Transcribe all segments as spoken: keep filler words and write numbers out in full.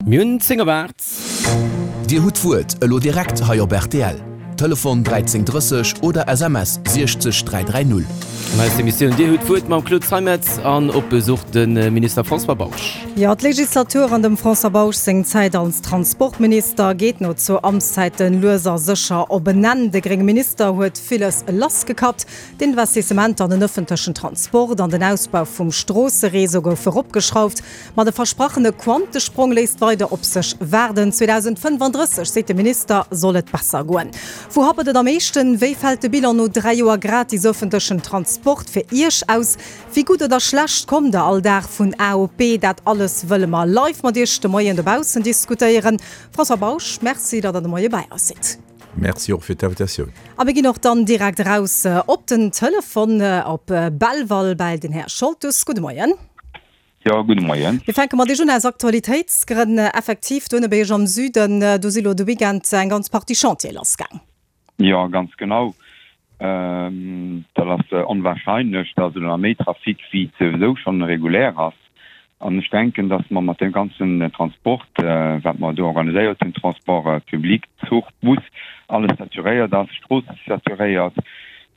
Mir hunn zéng op aacht. Dir hutt d'Wuert elo direkt hei op rtl. Telefon dräizéng drësseg oder S M S siechzeg dräi dräi null. An eiser Emissioun Dir hutt d'Wuert mam Claude Zeimetz an op Besuch de Minister François Bausch. Jo, d'Legislatur an dem François Bausch seng Zäit als Transportminister geet no zwou Amtszäiten lues a sécher op en Enn. De grénge Minister huet villes lassgekappt, D'Investissementer an den ëffentlechen Transport an den Ausbau vum Stroossereseau goufe eropgeschrauft. Ma de versprachene Quantesprong léisst weider op sech waarden. zweedausendfënnefandrësseg, seet de Minister, soll et besser goen. Wou happert et am meeschten? Wéi fält de Bilan no dräi Joer gratis ëffentlechen Transport fir Iech aus? Wéi gutt oder schlecht kommt der all Dag vun A op B? Dat alles wëlle mer live mat Iech de Moien dobaussen diskutéieren. François Bausch, Merci, datt Der de Moie bäi eis sidd. Merci och fir d'Invitatioun. A mir ginn och dann direkt eraus op den Telefon op Belval bäi den Här Scholtus. Gudde Moien. Jo, gudde Moien. Mir fänke mat Iech un aus Aktualitéitsgrënn. Effektiv, do ënne bei Iech am Süden, do si lo de Weekend eng ganz Partie Chantiere lassgaang. Jo, ganz genau. Dat ass onwahrscheinlech, dass elo nach méi Trafic wéi souwisou schonn regulär ass. An ech denken, dass mer mat deem ganzen Transport, wat mer do organiséiert hunn, Transport public, Zuch, Bus, alles saturéiert ass, d'Strooss ass saturéiert.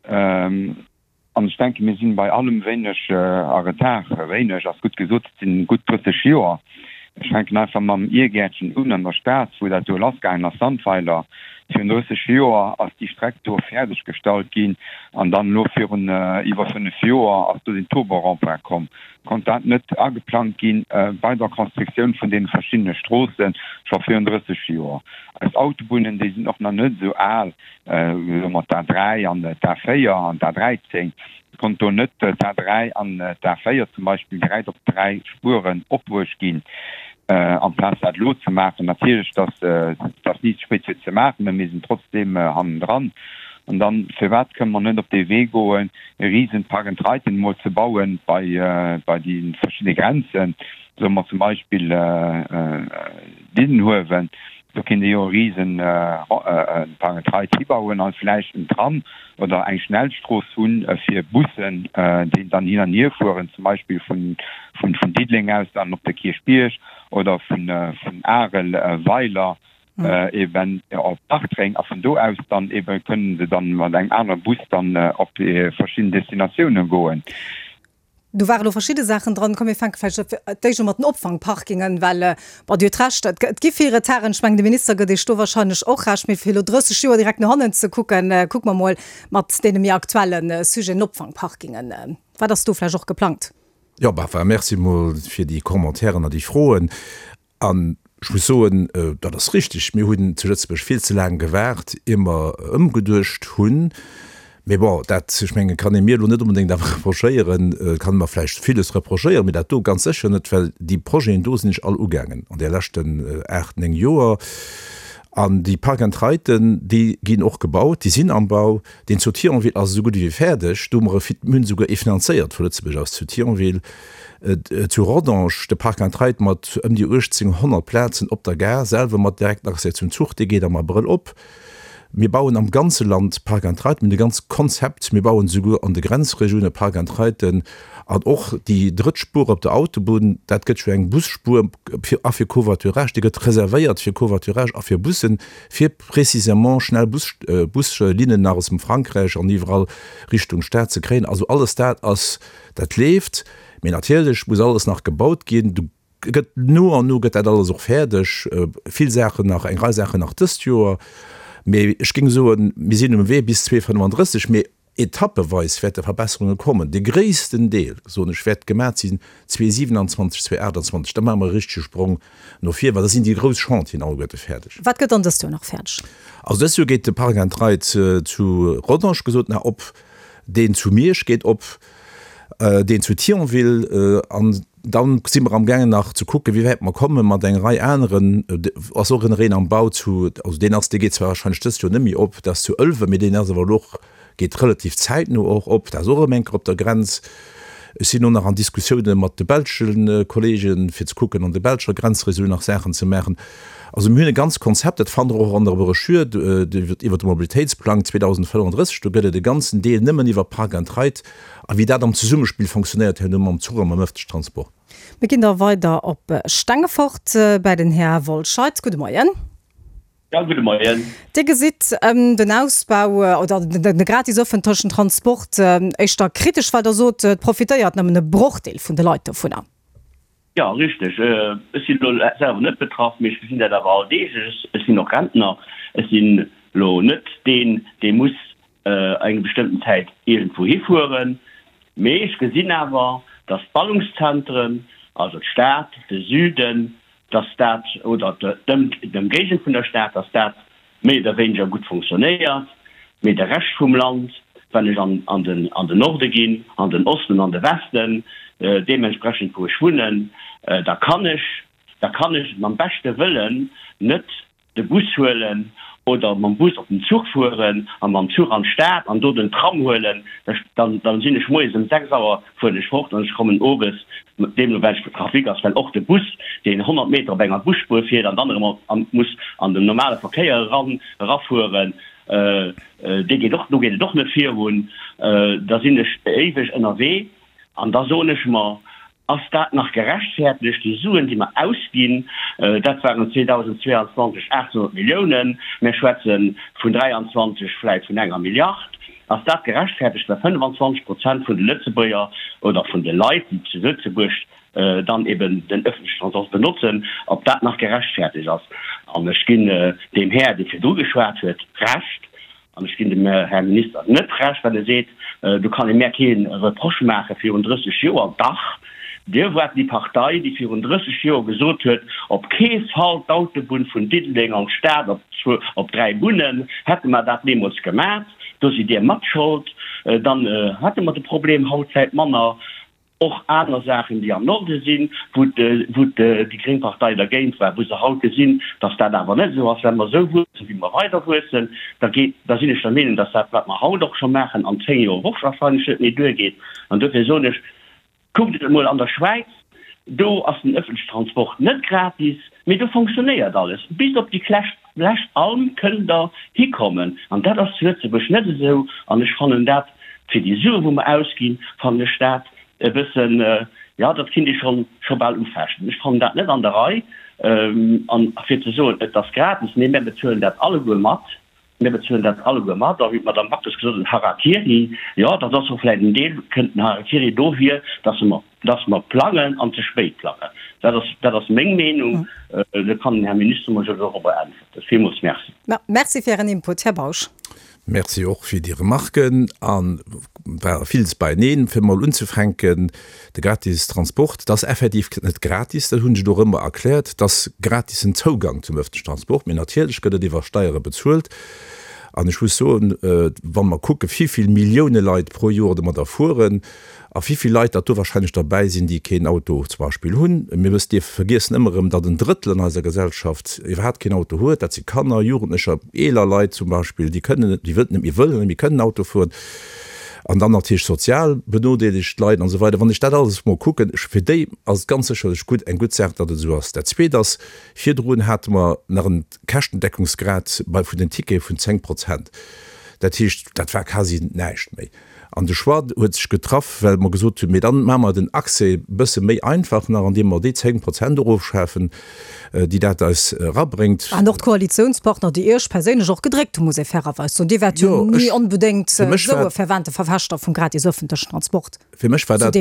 An ech denken, mir sinn bei allem wéineg a Retard. Wéineg ass gutt gesot, et sinn gutt drësseg Joer. Ech fänken einfach mam Irgäertchen un an der Stad, wou dat do lassgaangen ass, Sandweiler. Virun drësseg Joer ass déi Streck do fäerdeg gestallt ginn an dann elo virun iwwer fënnef Joer ass do den Turbo-Rond-point komm. Konnt dat net ageplangt gi bei der Constructioun vun deene verschiddene Stroosse scho virun drësseg Joer? Eis Autobunnen, déi sinn och nach net esou al, soe mer d'A dräi an d'A véier an d'A dräizéng. Konnt do net d'A dräi an d'A véier zum Beispill direkt op dräi Spueren opbruecht ginn, amplaz dat elo ze maachen? Natierlech, dass ass ni ze spéit fir ze maachen, mä mir sinn trotzdeem hannendran. An dann, firwat kënne mer net op dee Wee goen, e risen Park-and-Riden emol ze bauen bei bei déi verschidde Grenzen, soe mer zum Beispill Diddenhuewen, do kéint ee jo e risen Park-and-Ride hibauen an vläicht en Tram oder eng Schnellstrooss hunn fir Bussen, déi dann hin an hier fueren, zum Beispill vun vun Diddeleng aus dann op de Kierchbierg oder vun vun Arel, Weiler eben op Bartreng a vun do aus dann eben kënnen se dann mat engem anere Bus dann op déi verschidden Destinatiounen goen. Do ware lo verschidde Saachen dran. Komm mir fänke vläicht d'éischt u mat den Opfangparkingen, well, bon, Dir hutt Recht, et et gi vill Retarden. Ech mengen, de Minister gëtt Iech do wahrscheinlech och Recht. Mee fir elo drësseg Joer direkt no hannen ze kucken, kucke mer mol mat deene méi aktuelle Sujeten, Opfangparkingen. Wat ass do vläicht och geplangt? Jo, bah, enfin, merci mol fir déi Commentairen an déi Froen. An ech muss soen, dat ass richtig, mir hunn zu Lëtzebuerg vill ze laang gewaart, ier mer ëmgeduecht hunn. Mee bon, dat, ech mengen, kann ee mir elo net onbedéngt awer reprochéieren. Et kann ee mer vläicht villes reprochéieren, mee dat do ganz sécher net, well déi Projeten do sinn ech all ugaangen an de leschten aacht, néng Joer. An déi Park-and-Riden, déi ginn och gebaut, déi sinn am Bau. Deen zu Thionville ass esou gutt ewéi fäerdeg. Do hu mer e, mir hunn esouguer ee finanzéiert vu Lëtzebuerg aus zu Thionville. Zu Rodange, de Park-and-Ride mat ëm déi uechtzénghonnert Plazen op der Gare selwer mat direkten Accès zum Zuch, dee geet am Abrëll op. Mir bauen am ganze Land Park-and-Ride, mir hunn e ganzt Konzept. Mir bauen esouguer an de Grenzregioune Park-and-Riden. An och déi drëtt Spuer op der Autobunn, dat gëtt jo eng Busspuer fir a fir Covoiturage, déi gëtt reservéiert fir Covoiturage a fir Bussen, fir précisément schnell Bus, Buslinnen nach aus dem Frankräich an iwwerall Richtung Stad ze kréien. Also alles dat ass, dat leeft. Mee natierlech muss alles nach gebaut ginn. Do gëtt no an no gëtt dat alles och fäerdeg. Vill Saachen nach, eng Rei Saachen nach dëst Joer. Mee ech géing soen, mir sinn um Wee bis zweedausendfënnefandrësseg, mee etappeweis wäerte Verbesserunge kommen. De gréissten Deel, soen ech, wäert gemaach sinn zweedausendsiwenanzwanzeg, zweedausendachtundzwanzeg. Da maache mer e richtege Sprong no vir, well da sinn déi grouss Chantieren alleguerte fäerdeg. Wat gëtt dann dëst Joer nach fäerdeg? Also dëst Joer geet de Park and Ride zu Rodange gesot nach op, deen zu Miersch geet op, deen zu Thionville an dann si mer amgaangen nach ze kucken, wéi wäit mer komme mat enger Rei aneren. Et ass och en een am Bau zu, also deen ass, dee geet zwar wahrscheinlech dëst Joer net méi op, dat ass zu Ëlwen, mee deen ass awer elo och, geet relativ zäitno och op, dat ass och erëm eng Kéier op der Grenz. Ech sinn och nach an Diskussioune mat de belsche Kollegen, fir ze kucken, an der belscher Grenzregioun nach Saachen ze maachen. Also mir hunn e ganzt Konzept, dat fannt Der och an der Broschür iwwert de Mobilitéitsplang zweedausendfënnefandrësseg. Do gëtt et e ganzen Deel nëmmen iwwer Park and Ride a wéi dat am Zesummespill fonctionnéiert herno mam Zuch a mam ëffentlechen Transport. Mir ginn da weider op Stengefort bei den Här Wollscheid. Gudde Moien. Ja, gudde Moien. Dir gesitt den Ausbau oder de gratis ëffentlechen Transport éischter kritesch, well Der sot, et profitéiert nëmmen e Brochdeel vun de Leit dovunner. Jo, richteg. Ech sinn elo selwer net betraff, mee ech gesinn dat awer alldeeglech. Ech sinn och Rentner. Ech sinn elo net deen, dee muss eng bestëmmten Zäit iergendwou hifueren. Mee ech gesinn awer, dass d'Ballungszentren, also d'Stad, de Süden, dass dat, oder d'Ëmgéigend vun der Stad, dass dat méi oder wéineger gutt fonctionnéiert. Mee de Rescht vum Land, wann ech an den Norde ginn, an den Osten, an de Westen, deementsprechend wou ech wunnen, da kann ech, da kann ech mam beschte Wëllen net de Bus huelen oder mam Bus op den Zuch fueren a mam Zuch an d'Stad an do den Tram huelen, dann dann sinn ech moies ëm sechs Auer fueren ech fort an ech kommen owes, deemno wéi de Trafic ass, well och de Bus, deen honnert Meter op enger Busspuer fiert an dann erëm muss an den normale Verkéier eran erafueren, dee geet och, do geet et och net virun, da sinn ech éiweg ënnerwee an da soen ech mer, Ass dat nach gerechtfertegt, déi Suen, déi mer ausginn? Dat waren zweedausendzweeanzwanzeg aachtshonnert Milliounen, mir schwätze vun dräianzwanzeg vläicht vun enger Milliard. Ass dat gerechtfertegt, well fënnefanzwanzeg Prozent vun de Lëtzebuerger oder vun de Leit, déi zu Lëtzebuerg dann eben den öffentlichen Transport benotzen, ob dat nach gerechtfertegt ass? An ech ginn deem Här, dee virdru geschwat huet, Recht, An ech ginn dem Här Minister net Recht, wann e seet, do kann ee mär kee Reproche maache virun drësseg Joer. Dach, Dir waart déi Partei, déi virun drësseg Joer gesot huet, op kee Fall d'Autobunn vun Diddeleng an d'Stad op dräi Bunnen. Hätte mer dat deemools gemat, do sidd Dir matschold, dann hätte mer de Problem haut vläicht manner. Och aner Saachen, déi am Norde sinn, wou déi gréng Partei dergéint war, wou se haut gesinn, dass dat awer net esou ass. Wa mer esou wuessen, wéi mer weider wuessen, da geet, da sinn ech der Meenung, dass dat, wat mer haut och scho maachen, an zéng Joer och wahrscheinlech net méi duergeet. An dofir soen ech, Kuckt et emol an der Schwäiz, do ass den ëffentlechen Transport net gratis, mee do fonctionnéiert alles. Bis op déi lescht Alm kënnt Der hikommen. An dat ass zu Lëtzebuerg net esou. An ech fannen dat, fir déi Sue wou mer ausginn, fannen ech dat e bëssen, jo, dat kinnt ee schonn scho bal ufechten. Ech fannen dat net an der Rei. An fir ze soen, et ass gratis, nee, mir bezuelen dat alleguer mat. Mir bezuelen dat alleguer mat. A wéi d'Madame Backes gesot huet, Harakiri, jo, dat ass och vläicht en Deel, kënnt den Harakiri dohier, dass mer, dass mer plangen an ze spéit plangen. Dat ass, dat ass meng Meenung. Do kann den Här Minister mer jo dorobber äntwerten. Villmools merci. Merci fir Ären Input, Här Bausch. Merci och fir déi Remarken. A war villes beieneen. Fir emol unzefänken, de gratis Transport, dat ass effektiv net gratis, dat hunn ech och ëmmer erkläert. Dat ass gratisen Zougang zum öffentlichen Transport, mee natierlech gëtt et iwwer Steiere bezuelt. An ech muss soen, wa mer kucke wivill Millioune Leit pro Joer domadder fueren a wivill Leit datt do wahrscheinlech derbäi sinn, déi keen Auto zum Beispill hunn, mir wëssen, dierfe vergiessen ëmmer erëm, datt en Drëttel an eiser Gesellschaft iwwerhaapt keen Auto huet, dat si Kanner, Jugendlecher, eeler Leit zum Beispill, déi kënnen net, déi wëllen net méi, wëllen net méi kënnen Auto fueren an dann natierlech sozial benodeelegt Leit an esou weider. Wann ech dat alles emol kucken, fir déi ass et ganz sécherlech gutt, eng gutt Saach, datt et esou ass. Dat Zweet ass, virdrun hate mer nach en Käschtendeckungsgrad bei vun den Tickete vun zéng Prozent. Dat heescht, dat war quasi näischt méi. An de Choix huet sech getraff, well mer gesot hunn, mee dann maache mer den Accès e bësse méi einfach nach, andeem mer déi zéng Prozent erofschafen, déi dat eis erabréngt. An och d'Koalitiounspartner, déi Iech perséinlech och gedréckt hunn, muss ee fairerweis soen. Dir waart jo ni onbedéngt esou e fervente Verfechter vum gratis öffentlechen Transport. Fir mech war dat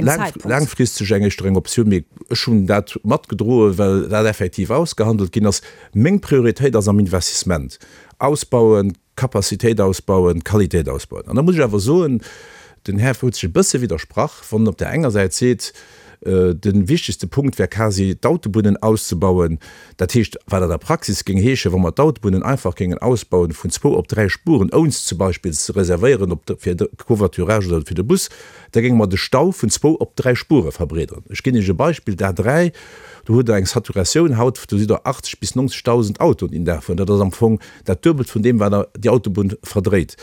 laangfristeg eng éischter eng Optioun, mee ech hunn dat matgedroen, well dat effektiv ausgehandelt ginn ass. Meng Prioritéit ass am Investissement, ausbauen, Capacitéit ausbauen, Qualitéit ausbauen. An da muss ech awer soen, den Här huet sech e bësse widdersprach, wann en op där enger Säit seet, de wichtegste Punkt wär quasi d'Autobunnen auszebauen. Dat heescht, wat an der Praxis géing heeschen, wa mer d'Autobunnen einfach géingen ausbauen vun zwou op dräi Spuren, ouns zum Beispill ze reservéieren op fir de Covoiturage oder fir de Bus, da géinge mer de Stau vun zwou op dräi Spure verbreederen. Ech ginn Iech e Beispill, D'A dräi, do hutt Der eng Saturatioun haut, do sidd Der achtzeg bis neunzigtausend Autoen deen Dag fueren. Dat ass am Fong dat Duebelt vun deem, wat Der déi Autobunn verdréit.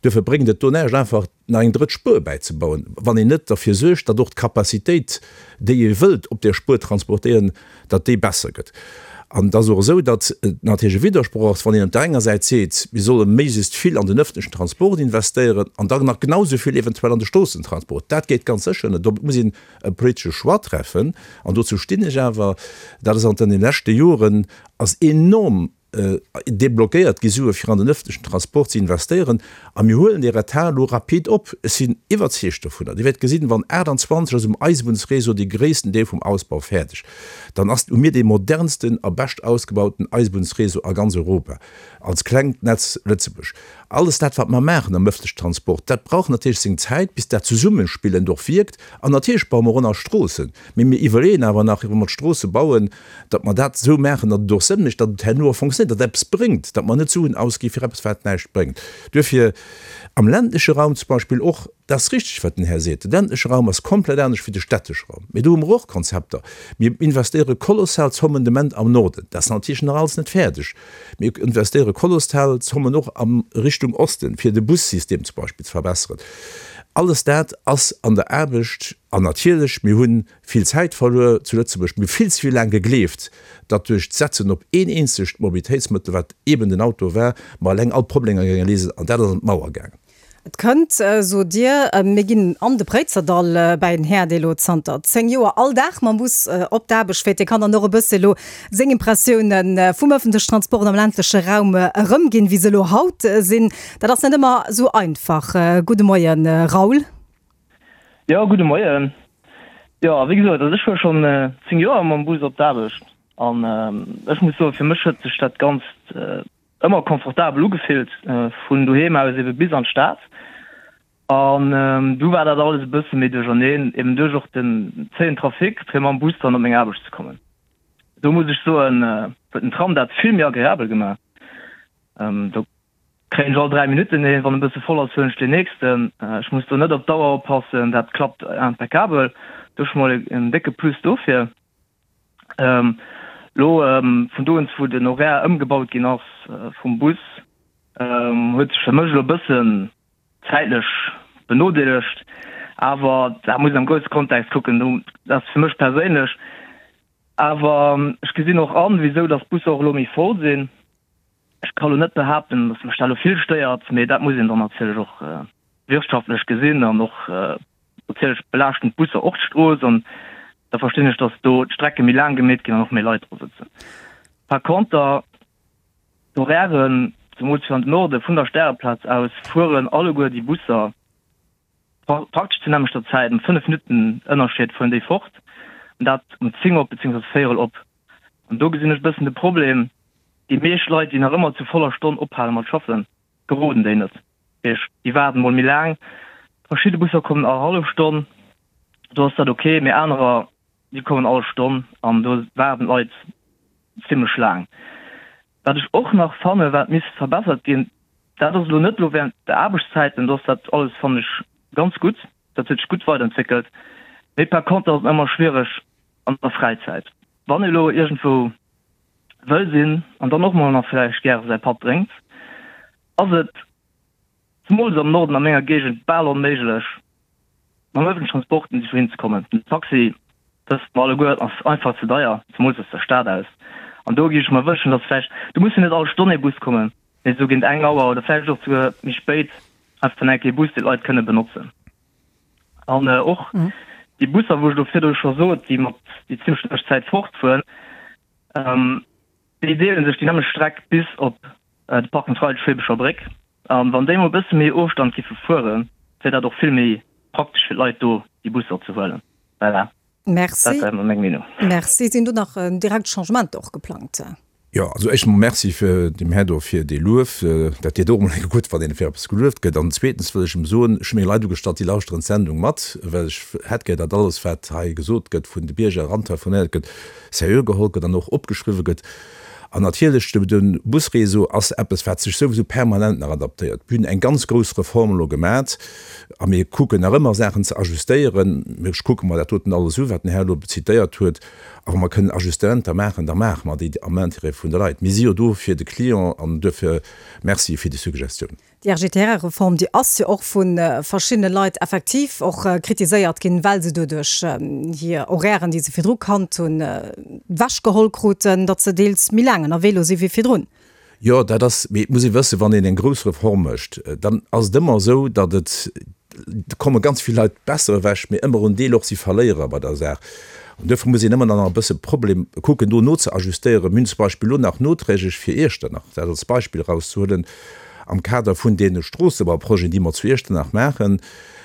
Duerfir bréngt et do näischt, einfach nach eng drëtt Spuer bäizebauen, wann een net derfir suergt, datt och d'Capacitéit, déi ee wëllt op där Spuer transportéieren, datt déi besser gëtt. An et ass och esou, datt et natierlech e Widdersproch ass, wann een op där enger Säit seet, mir solle méiglechst vill an den öffentlechen Transport investéieren an dann nach genau esou vill eventuell an de Stroossentransport. Dat geet ganz sécher net. Do muss een e politesche Choix treffen. An dozou stinn ech awer. Dat ass an den leschte Joren ass enorm deblockéiert gi Sue fir an den öffentlechen Transport ze investéieren a mir huelen dee Retard elo rapid op. Ech sinn iwwerzeegt dovunner, Dir wäert gesinn, wann achtundzwanzeg ass um Eisebunnsréseau dee gréissten Deel vum Ausbau fäerdeg, dann ass hu mir dee modernsten a bescht ausgebauten Eisebunnsréseau a ganz Europa als klengt Netz Lëtzebuerg. Alles dat, wat mer maachen am öffentlechen Transport, dat brauch natierlech seng Zäit, bis dat Zesummenspillend och wierkt. An natierlech baue mer och nach Stroossen, mee mir iwwerleeën awer nach, wa mer d'Stroosse bauen, datt mer dat esou maachen, datt et och Sënn mécht, datt et herno och fonctionnéiert, datt et eppes bréngt, datt mer net Suen ausgi fir eppes, wat näischt bréngt. Duerfir am ländleche Raum zum Beispill och, dat ass richtig, wat den Här seet, de ländleche Raum ass komplett anescht wéi de städtesche Raum, mee do hu mer och Konzepter. Mir investéiere kolossal Zommen de Moment am Norden, dat ass natierlech nach alles net fäerdeg. Mir investéiere kolossal Zommen och a Richtung Osten, fir de Bussystem zum Beispill ze verbesseren. Alles dat ass an der Aarbecht. An natierlech, mir hu vill Zäit verluer zu Lëtzebuerg. Mir hu vill ze vill laang gegleeft, datt duerch d'Setzen op een eenzegt Mobilitéitsmëttel, wat eeben den Auto war, mer eleng all d'Problemer géinge léisen. An dat ass an d'Mauer gaangen. Et kënnt, sot Dir. Mir ginn an de Préizerdall bäi en Här, dee lo zanter zéng Joer all Dag mam Bus op d'Aarbecht fiert. Dee kann dann och e bësse lo seng Impressioune vum ëffentlechen Transport am ländleche Raum erëmginn, wéi se elo haut sinn. Dat ass net ëmmer esou einfach. Gudde Moien, Raoul. Jo, gudde Moien. Jo, wéi gesot, also ech fuere schonn zéng Joer mam Bus op d'Aarbecht an ech muss soen, fir mech huet sech dat Ganzt ëmmer confortabel ugefillt, vun doheem aus ebe bis an d'Stad. An du war dat alles e bësse méi duercherneen, eben duerch och den zéien Trafic, fir mam Bus dann op meng Aarbecht ze kommen. Do muss ech soen, huet den Tram dat vill méi agreabel gemaach. Do kréien ech all dräi Minutten een, wann e bësse voll ass, huelen ech deen nächsten. Ech muss do net op d'Auer oppassen, dat klappt impeccabel. Do scho mol en décke Plus dofir. Lo vun do un, wou den Horaire ëmgebaut ginn ass vum Bus, huet sech fir mech elo e bëssen zäitlech benodeelegt. Awer dat muss een am grousse Kontext kucken. Dat ass fir mech perséinlech. Awer ech gesinn och an, wisou datt d'Busser och elo méi voll sinn. Ech ka lo net behaapten, datt mech dat elo vill stéiert, mee dat muss een dann natierlech och wirtschaftlech gesinn an och natierlech belaaschten d'Busser och d'Strooss an da verstinn ech, datt do d'Strecke méi laang gemeet ginn an och méi Leit dra sëtzen. Par conter d'Horairen, zemools fir an den Norde vun der Stäreplaz aus, fueren alleguer déi Busser praktesch zur nämmlechter Zäit, ëm fënnef Minutten Ënnerscheed fueren déi fort, an dat um zéng op beziéungsweis véierel op. An do gesinn ech e bëssen de Problem, déi meescht Leit, déi nach ëmmer zu voller Stonn ophale mat schaffen, geroden déi net. Heescht, déi waarden mol méi laang. Verschidde Busser kommen all hallef Stonn, do ass dat ok, mee anerer, déi kommen all Stonn an do waarden d'Leit zimlech laang. Wat ech och nach fannen, wat misst verbessert ginn, dat ass elo net elo während de Aarbechtszäiten, do ass dat alles, fannen ech, ganz gutt, dat huet sech gutt weiderentwéckelt, mee par contre ass et ëmmer schwiereg an der Fräizäit, wann ee elo iergendwou wëll sinn an dann och mol nach vläicht gäre säi Patt drénkt, ass et zemools am Norden a menger Géigend bal onméiglech mam ëffentlechen Transport iergendwou hinzekommen. Den Taxi, wësse mer alleguer, ass einfach ze deier, zemools aus der Stad aus. An do géif ech mer wënschen, dass vläicht, do muss jo net all Stonn ee Bus kommen, mee esou géint eng Auer oder vläicht och souguer méi spéit einfach dann eng Kéier ee Bus, dee d'Leit kënne benotzen. An och déi Busser, wou ech elo virdru scho sot, déi mat déi zimmlech nämmlecht Zäit fortfueren, déi deele sech déi nämmlecht Streck bis op de Park and Ride Schweebescher Bréck. A wann déi mol e bësse méi Ofstand giffe fueren, wär dat och vill méi praktesch fir d'Leit do déi Busser ze huelen. Voilà. Merci. Dat war emol meng Meenung. Merci. Sinn do nach direkt Changementer och geplangt? Jo, also éischt emol Merci fir dem Här do fir dee Luef. Dat deet och emol eng gutt, wann een fir eppes gelueft gëtt. An zweetens wëll ech em soen, ech hu meng Leit ugestallt, déi lauschteren d'Sendung mat, well ech hätt gär, datt alles, wat hei gesot gëtt, vun de Bierger erantelefoniert gëtt, seriö geholl gëtt an och opgeschriwwe gëtt. An natierlech, de Busréseau ass eppes, wat sech souwisou permanent nach adaptéiert. Mir hunn eng ganz grouss Reform elo gemat a mir kucken nach ëmmer, Saachen ze ajustéieren. Ech kucke mer dat doten alles u, wat den Här elo zitéiert huet. A wa mer kënnen Ajustementer maachen, da maache mer déi am Intérêt vun de Leit. Mir si jo do fir de Client an duerfir Merci fir déi Suggestioun. Déi R G T R-Reform, déi ass jo och vu verschiddene Leit effektiv och kritiséiert ginn, well se doduerch hir Horairen, déi se virdru kannt hunn, ewechgeholl kruten, datt se deels méi laang ënnerwee elo si wéi virdrun. Jo, dat ass, mee et muss ee wëssen, wann een eng grouss Reform mécht, dann ass et ëmmer esou, datt et, do komme ganz vill Leit besser ewech, mee ëmmer en Deel och si Verléierer bei der Saach. An duerfir muss een ëmmer dann nach e bësse Problem kucken, do nozeajustéieren. Mir hunn zum Beispill elo nach noträglech fir Iechternach, dat als Beispill erauszehuelen, am Kader vun deene Stroossebauprojeten, déi mer zu Iechternach maachen,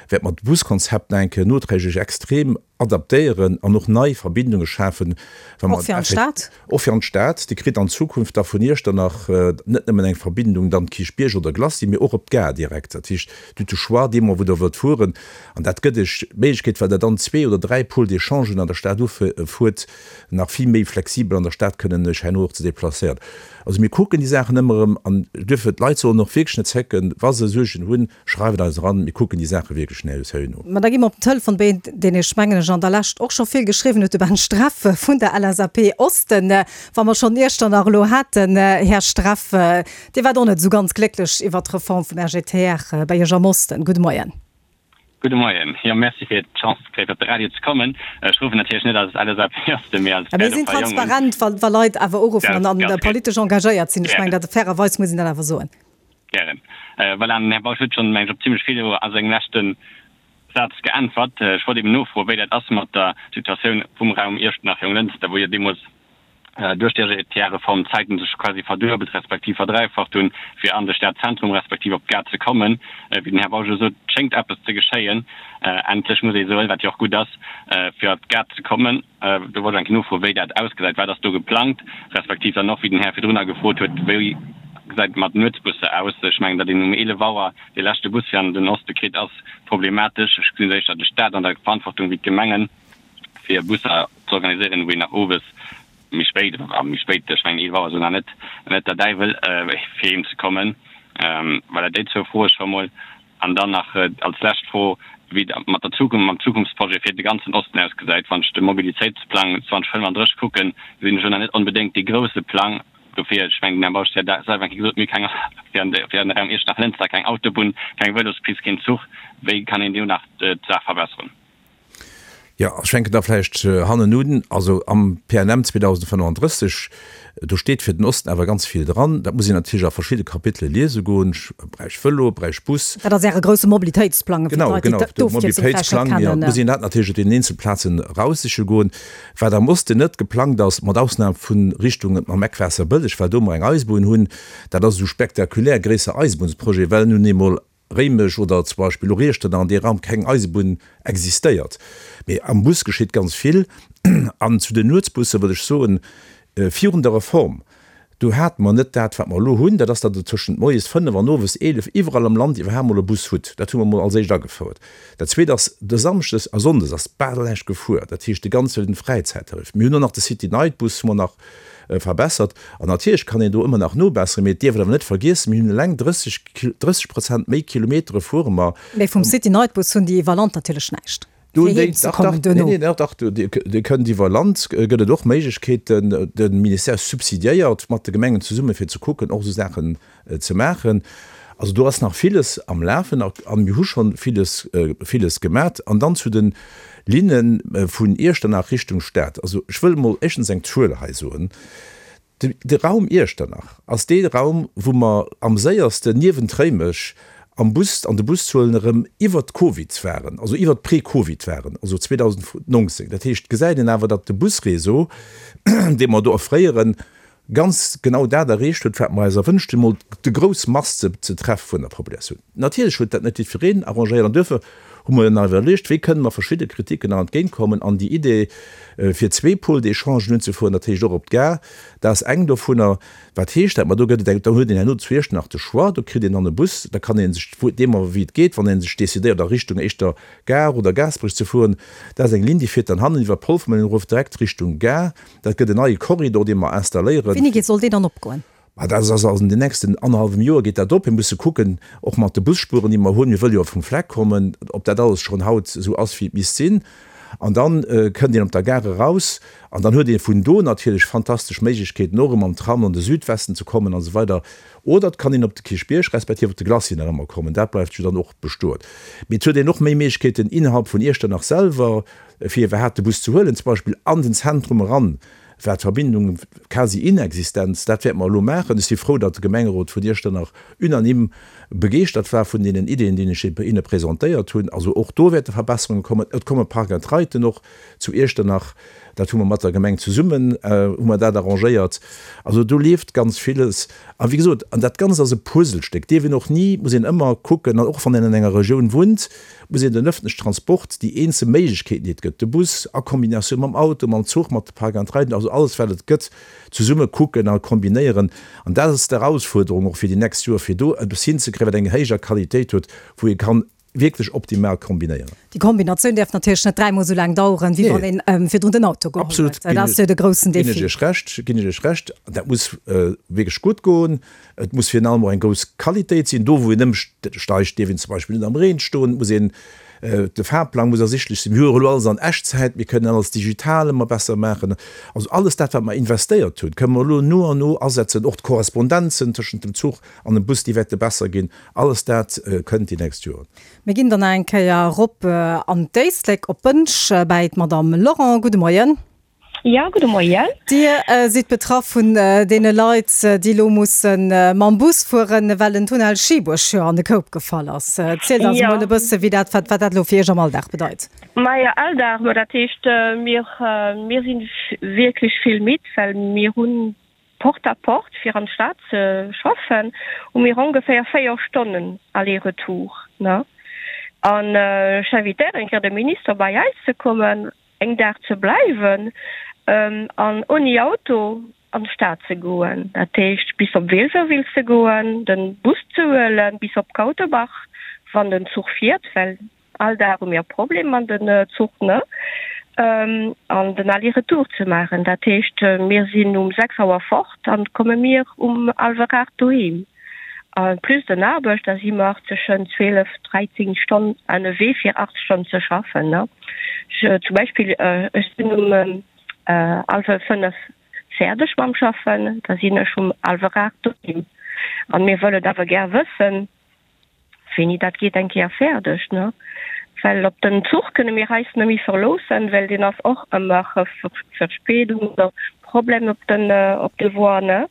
wäerte mer d'Buskonzept nach eng Kéier noträglech extrem adaptéieren an och nei Verbindunge schafen, wa mer Och fir an d'Stad? Och fir an d'Stad. Dir kritt an Zukunft da vun Iechternach net nëmmen eng Verbindung dann Kierchbierg oder Glacis, mee och op d'Gare direkt. Dat heescht, Dir hutt de Choix dee Moment, wou Der wëllt fueren. An dat gëtt Iech d'Méiglechkeet, well Der dann zwee oder dräi Pôles d'échangen an der Stad ufuert, nach vill méi flexibel an der Stad kënnen Iech herno och ze déplacéieren. Also mir kucken déi Saachen ëmmer erëm an duerfir, d'Leit sollen och wierklech net zécken, wa se Suergen hunn, schreift eis eran, mir kucken déi Saache wierklech no. Ma da gi mer op den Telefon bei een, deen ech, mengen ech, an der Lescht och scho vill geschriwwen huet, de Ben Streff vun der L S A P Osten. Wa mer schonn Iechternach elo haten, Här Streff, Dir waart och net esou ganz glécklech iwwert d'Reform vum R G T R bei Iech am Osten. Gudde Moien. Gudde Moien. Jo, merci fir d'Chance ze kréien, fir op de Radio ze kommen. Ech ruffen natierlech net als L S A P Osten, mee als Mir sinn Bäerdorfer Jongen. transparent, wa, wa Leit awer uruffen Ganz, an, an ganz politesch engagéiert sinn. Ech Gären. mengen, dat fairerweis muss een dat awer soen. Gären. Voilà, den Här Bausch huet schonn, meng ech, op zimlech vill a sengem leschte Saz geäntwert. Ech wollt eben nofroen, wéi dat ass mat der Situatioun vum Raum Iechternach-Jonglënster, wou jo deemools duerch d'R G T R-Reform d'Zäiten sech quasi verduebelt respektiv verdräifacht hunn, fir an de Stadzentrum respektiv op d'Gare ze kommen. Wéi den Här Bausch elo sot, schéngt eppes ze geschéien, endlech muss ee soen, wat jo och gutt ass, fir op d'Gare ze kommen. Do wollt ech eng Kéier nofroen, wéi dat ausgesäit. Wat ass do geplangt? Respektiv dann och, wéi den Här virdrunner gefrot huet, wéi gesäit et mat Nuetsbusser aus? Ech mengen, datt een um eelef Auer dee leschte Bus fir an den Oste kritt, ass problematesch. Ech gesinn éischter de Stat an der Verantwortung wéi d'Gemengen, fir Busser ze organiséieren, wou een nach owes méi spéit, a méi spéit, ech mengen eelef Auer ass elo nach net net der Däiwel, fir heem ze kommen. Voilà, déi zwou Froe scho mol. An dann nach als lescht Fro, wéi et mat der Zukunft, mam Zukunftsprojet fir de ganzen Osten ausgesäit. Wann ech de Mobilitéitsplang zweedausendfënnefandrësseg kucken, gesinn ech elo nach net onbedéngt dee grousse Plang. Dofir, ech mengen, den Här Bausch huet dat selwer eng Kéier gesot, mir hu keng, fir an de, fir an de Raum Iechternach-Lënster keng Autobunn, keng Vëlospist, keen Zuch. Wéi kann een do nach d'Saach verbesseren? Jo, ech fänken da vläicht hannen un. Also am P N M zweedausendfënnefandrësseg, do steet fir den Osten awer ganz vill dran. Dat muss een natierlech a verschidde Kapitele liese goen, Beräich Vëlo, Beräich Bus. Dat ass Äre grousse Mobilitéitsplang, fir Genau, d'Leit, déi genau, de d'Ofkierzung vläicht net Mobilitéitsplang, jo. kennen. Et muss een dat natierlech op deenen eenzel Plazen eraussiche goen. Wat am Osten net geplangt ass, mat Ausnam vu Richtung mam Eck Waasserbëlleg, well do mer eng Eisebunn hunn, dat ass esou spektakulär gréisser Eisebunnsprojet, well nun eemol Réimech oder zum Beispill och Iechternach an dee Raum keng Eisebunn existéiert. Mee am Bus geschitt ganz vill. An zu den Nuetsbusse wëll ech soen, virun der Reform, do hate mer net dat, wat mer elo hunn, dat ass, datt Der tëschent moies fënnef an owes eelef iwwerall am Land iwwerhaapt mol e Bus hutt. Dat hu mer mol als éischt agefouert. Dat Zweet ass, de Samschdes a Sonndes ass bal näischt gefuer, dat heescht de ganze Fräizäittarif. Mir hunn och nach de City-Night-Bus hu mer nach verbessert. An natierlech kann een do ëmmer nach nobesseren, mee et dierf een awer net vergiessen, mir hunn eleng drësseg, drësseg Prozent méi Kilometere fuere mer. Mee vum City-Night-Bus hunn déi iwwer Land natierlech näischt, Do fir déi, heem ze dach, kommen dach, nee, duerno. nee, dach, dach, do, Dir, Dir kënnt iwwer Land, gëtt et och Méiglechkeeten, de Ministère subsidiéiert mat de Gemengen zesumme fir ze kucken, och esou Saachen ze maachen. Also do ass nach villes am Lafen a mir hu scho villes, villes gemat. An dann zu de Linne vun Iechternach Richtung Stad. Also ech wëll emol éischtens eng Zuel hei soen. De, de Raum Iechternach ass dee Raum, wou mer am séiersten niewent Réimech am Bus, an de Buszuelen erëm iwwert Covid waren, also iwwert Pre-Covid waren, also zweedausendnonzéng. Dat heescht, et gesäit een awer, datt de Busréseau, dee mer do offréieren, ganz genau dat erreecht huet, wat mer eis erwënscht hunn, emol déi grouss Mass ze ze treffe vun der Populatioun. Natierlech huet dat net jiddwereen arrangéiert an duerfir hu mer nach iwwerluecht, wéi kënnen mer verschidde Kritiken nach entgéintkommen an déi Idee, fir zwee Pôles d'échangen unzefueren, dat heescht och op d'Gare, dat ass eng dovunner. Wat heescht dat? Ma do gëtt et eng, do huet een herno zu Iechternach de Choix, do kritt een dann e Bus, da kann ee sech, deemno wéi et geet, wann ee sech decidéiert a Richtung éischter Gare oder Gaasperech ze fueren, dat ass eng Linn, déi fiert dann hannen iwwer Polfermillen erof direkt Richtung Gare. Dat gëtt en neie Korridor, dee mer installéieren. Wéini geet, soll deen dann opgoen? Ma dat ass also an den nächsten annerhallwem Joer geet dat op. Mir musse kucken, och mat de Busspuren, déi mer hunn, mir wëlle jo vum Fleck kommen, ob dat alles schonn haut esou ass, wéi et misst sinn. An dann kënnt een op der Gare eraus an dann huet ee vun do natierlech fantastesch Méiglechkeeten, och erëm mam Tram an de Südwesten ze kommen an esou weider. Oder et kann een op de Kierchbierg respektiv op de Glacis nach ëmmer kommen. Dat bleift jo dann och bestoen. Mee et huet een och méi Méiglechkeeten innerhalb vun Iechternach selwer, fir iwwerhaapt de Bus ze huelen, zum Beispill an den Zentrum eran war d'Verbindung quasi inexistent. Dat wäerte mer elo maachen. Ech si frou, datt de Gemengerot vun Iechternach unanime begeeschtert war vun deenen Ideeën, déi ech hinne presentéiert hunn. Also och do wäerte Verbesserunge kommen. Et komme Park-and-Riden och zu Iechternach. Dat hu mer mat der Gemeng zesummen hu mer dat arrangéiert. Also do leeft ganz villes. A wéi gesot, an dat Ganzt ass e Puzzlestéck, dierf een och ni, muss een ëmmer kucken, an och wann een an enger Regioun wunnt, muss een den öffentlichen Transport, déi eenzel Méiglechkeeten, déi et gëtt, de Bus a Kombinatioun mam Auto, mam Zuch, mat de Park-and-Riden, also alles wat et gëtt, zesumme kucken a kombinéieren. An dat ass d'Erausfuerderung och fir déi nächst Joer, fir do eppes hinzekréien, wat eng héijer Qualitéit huet, wou ee kann wierklech optimal kombinéieren. Déi Kombinatioun däerf natierlech net dräimol esou laang daueren, wéi wann ee virdrun den Auto geholl huet. Dat ass jo de groussen Defi. Ginn ech Iech Recht, ginn ech Iech Recht. Dat muss wierklech gutt goen. Et muss virun allem och eng grouss Qualitéit sinn. Do, wou een ëmsteigt, dierf een zum Beispill net am Reen stoen. Et muss een, de Fahrplang muss ersichtlech sinn. Mir hu jo elo alles an Echtzäit. Mir kënnen alles digital ëmmer besser maachen. Also alles dat, wat mer investéiert hunn, kënnen mer elo no an no asetzen. Och d'Korrespondenzen tëschent dem Zuch an dem Bus, déi wäerte besser ginn. Alles dat kënnt déi nächst Joren. Mir ginn dann nach eng Kéier erop an d'Éislek op Bënsch bäi d'Madame Lorent. Gudde Moien. Jo, gudde Moien. Dir sidd betraff vun deene Leit, déi elo musse mam Bus fueren, well den Tunnel Schiebuerg jo an de Koup gefall ass. Zielt eis emol e bësse wéi dat, wat dat elo fir Iech am Alldag bedeit. Majo, Alldag, ma dat heescht, mir, mir si wierklech vill midd, well mir hunn Porte à porte fir an d'Stad ze schaffen, hu mir ongeféier véier Stonnen aller-retour, ne? An ech invitéieren eng Kéier de Minister bei eis ze kommen, eng Dag ze bleiwen an ouni Auto an d'Stad ze goen, dat heescht bis op Wilwerwil ze goen, den Bus ze huelen bis op Kauterbach, wann den Zuch fiert, well All Dag hu mir e Problem mat den Zuch, ne? An den Aller-retour ze maachen. Dat heescht, mir sinn um sechs Auer fort an komme mir um hallwer aacht doheem. A plus den Aarbecht, da si mer tëschent zwielef, dräizéng Stonn ënnerwee fir aacht Stonn ze schaffen, ne? Zum Beispill, ech sinn um hallwer fënnef fäerdeg mam Schaffen, da sinn ech um hallwer aacht doheem. An mir wëllen awer gär wëssen, Wéini dat geet eng Kéier fäerdeg, ne? Well op den Zuch kënne mir eis net méi verloossen, well deen ass och ëmmer Verspädung oder Problem op den op de Voie, ne?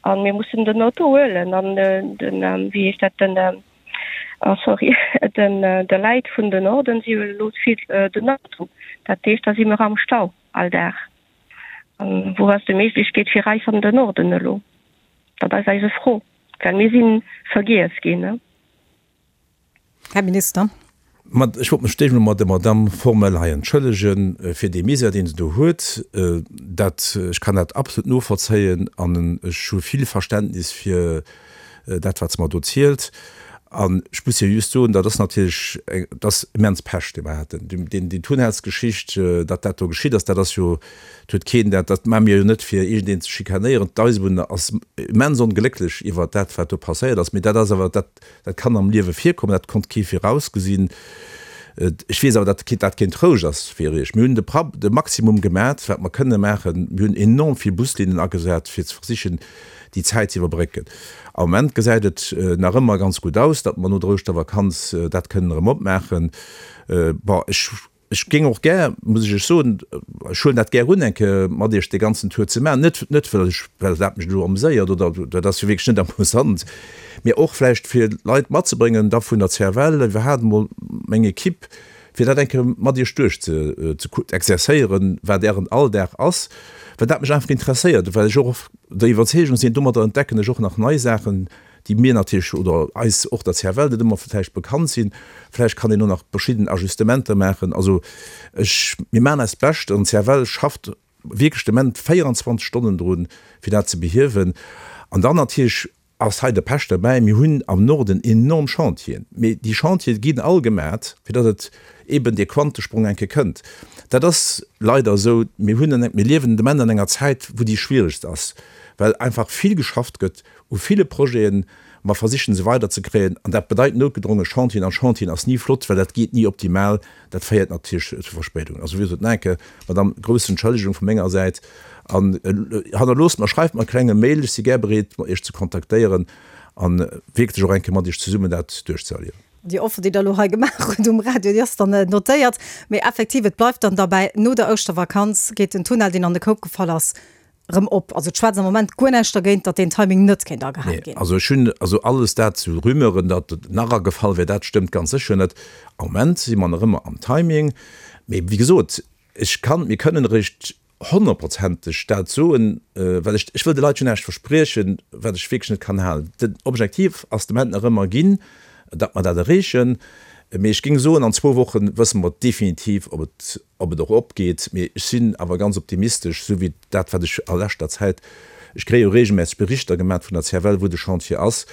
An mir mussen den Auto huelen an den, wéi heescht dat, den, oh sorry, den de Leit vun den Norden, si huelen elo vill den Auto. Dat heescht, da si mir am Stau all Dag. An wou ass déi Méiglechkeet fir eis an den Norden elo? Dat ass eise Fro, well mir si vergiess ginn, ne? Här Minister. Ma ech wollt mech d'éischt emol mat der Madamm formell hei entschëllege fir dee Misär, deen se do huet. Dat, ech kann dat absolut novollzéien an ech hu vill Verständnis fir dat, wat se mer do zielt. An ech muss hir just soen, dat ass natierlech eng, dat ass immens Pech, dee mer haten. Deen, déi Tunnelsgeschicht, datt dat do geschitt ass, dat ass jo, et huet keen dat, dat maache mir jo net, fir iergendeen ze schikanéieren. D'Eisebunn ass immens onglécklech iwwert dat, wat do passéiert ass. Mee dat ass awer, dat, Dat kann am Liewe virkommen, dat konnt kee virausgesinn. Ech weess awer, datt dat keen Trouscht ass fir Iech. Mir hunn de de Maximum gemat, wat mer kënne maachen. Mir hunn enorm vill Buslinnen agesat, fir ze versichen, déi Zäit ze iwwerbrécken. Am Moment gesäit et nach ëmmer ganz gutt aus, datt mer no der Ouschtervakanz dat kënnen erëm opmaachen. Bon, ech Ech géing och gär, muss ech Iech soen, ech huelen dat gär un, eng Kéier mat Iech dee ganzen Tour ze maachen, net, net well ech, well dat mech elo ameséiert oder, dat ass jo wierklech net amusant, mee och vläicht fir Leit matzebréngen da vun der C F L, iwwerhaapt emol meng Equipe, fir dat eng Kéier mat Iech duerch ze, ze exerzéieren, wat Ären Alldag ass, well dat mech einfach interesséiert, well ech och der Iwwerzeegung sinn, domadder entdecken ech och nach nei Saachen, déi mir natierlech oder eis och der C F L net ëmmer vläicht bekannt sinn. Vläicht kann een och nach verschidden Ajustementer maachen. Also ech, mir maachen eist Bescht an d'C F L schafft wierklech de Moment véierundzwanzeg Stonnen drun, fir dat ze behiewen. An dann natierlech ass hei de Pech derbäi, mir hunn am Norden enorm Chantieren, mee déi Chantiere ginn all gemat, fir datt et eeben dee Quantesprong eng Kéier kënnt. Dat ass leider esou. Mir hunn, mir liewen de Moment an enger Zäit, wou déi schwieregst ass, well einfach vill geschafft gëtt u ville Projeten, Mer versichen se weider ze kréien an dat bedeit noutgedronge Chantieren an Chantieren ass ni flott, well dat geet ni optimal, dat féiert natierlech zu Verspéidungen. Also wéi gesot, nach eng Kéier, Madame, grouss Entschëllegung vu menger Säit an hannerloosst mer, schreift mer e klenge Mail, ech si gär bereet mat Iech ze kontaktéieren a wierklech och eng Kéier mat Iech zesummen dat duerchzeerliewen. Déi Offer, déi Der elo hei gemaach hutt um Radio, déi ass dann notéiert. Mee effektiv, et bleift dann derbäi, no der Ouschtervakanz geet den Tunnel, deen an de Koup gefall ass, rëm op. Also et schwätzt am Moment guer näischt dergéint, datt deen Timing net kéint agehale Nee, ginn. also ech hunn, also alles dat zu Rumeuren, datt et nach agefall wär, dat stëmmt ganz sécher net. Am Moment si mer nach ëmmer am Timing. Mee wéi gesot, ech kann, mir kënnen eréischt honnertprozenteg dat soen, well ech, ech wëll de Leit jo näischt verspriechen, wat ech wierklech net kann halen. Den Objektiv ass de Moment nach ëmmer ginn, datt mer dat erreechen. Mee ech géing soen, an zwou Woche wësse mer definitiv, ob et, ob et och opgeet. Mee ech sinn awer ganz optimistesch, esou wéi dat, wat ech a leschter Zäit, ech kréie jo regelmässeg Berichter gemat vun der C F L, wou de Chantier ass,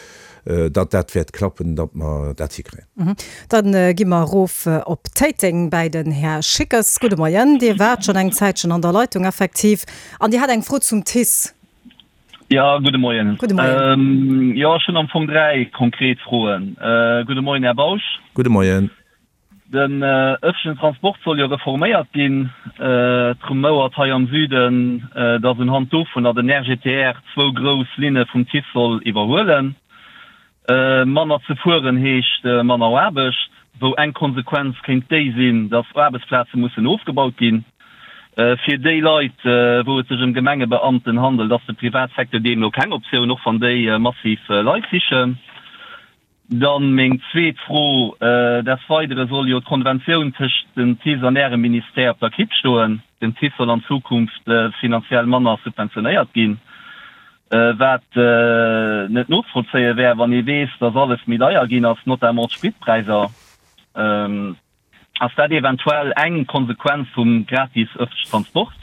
datt dat wäert klappen, datt mer dat hikréien. Da gi mer erof op Téiteng bäi den Här Schickes. Gudde Moien. Dir waart schonn eng Zäitchen an der Leitung effektiv an Dir hat eng Fro zum T I C E. Jo, gudde Moien. Gudde Moien. Jo, ech hunn am Fong dräi konkret Froen. Gudde Moien, Här Bausch. Gudde Moien. Den ëffentlechen Transport soll jo reforméiert ginn. Et rumouert hei am Süden, datt unhand dovunner den R G T R zwou grouss Linne vum T I C E soll iwwerhuelen. Manner ze fueren heescht manner Aarbecht, wou eng Konsequenz kéint déi sinn, datt Aarbechtsplaze mussen ofgebaut ginn. Fir déi Leit, wou et sech ëm Gemengebeamten handelt, ass de Privatsecteur deemno keng Optioun, och wann déi massiv Leit sichen. Dann meng zweet Fro, Des Weidere soll jo d'Konventioun tëscht dem T I C E an Ärem Ministère op der Kipp stoen. Den T I C E soll an Zukunft finanziell manner subventionéiert ginn, wat net nozevollzéie wär, wann ee weess, dass alles méi deier ginn ass, notamment d'Spritpräisser. Ass dat eventuell eng Konsequenz vum gratis ëffentlechen Transport?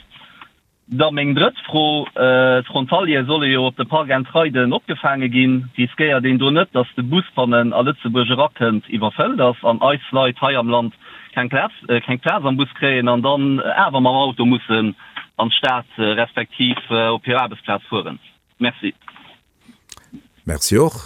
Da meng drëtt Fro, D'Frontaliere solle jo op de Park-and-Riden opgefaange ginn. Riskéiert een do net, datt de Bus, wann en a Lëtzebuerg erakënnt, iwwerfëllt ass an eis Leit hei am Land keng Plaz, keng Plaz am Bus kréien an dann awer mam Auto mussen an d'Stad respektiv op hir Aarbechtsplaz fueren? Merci. Merci och.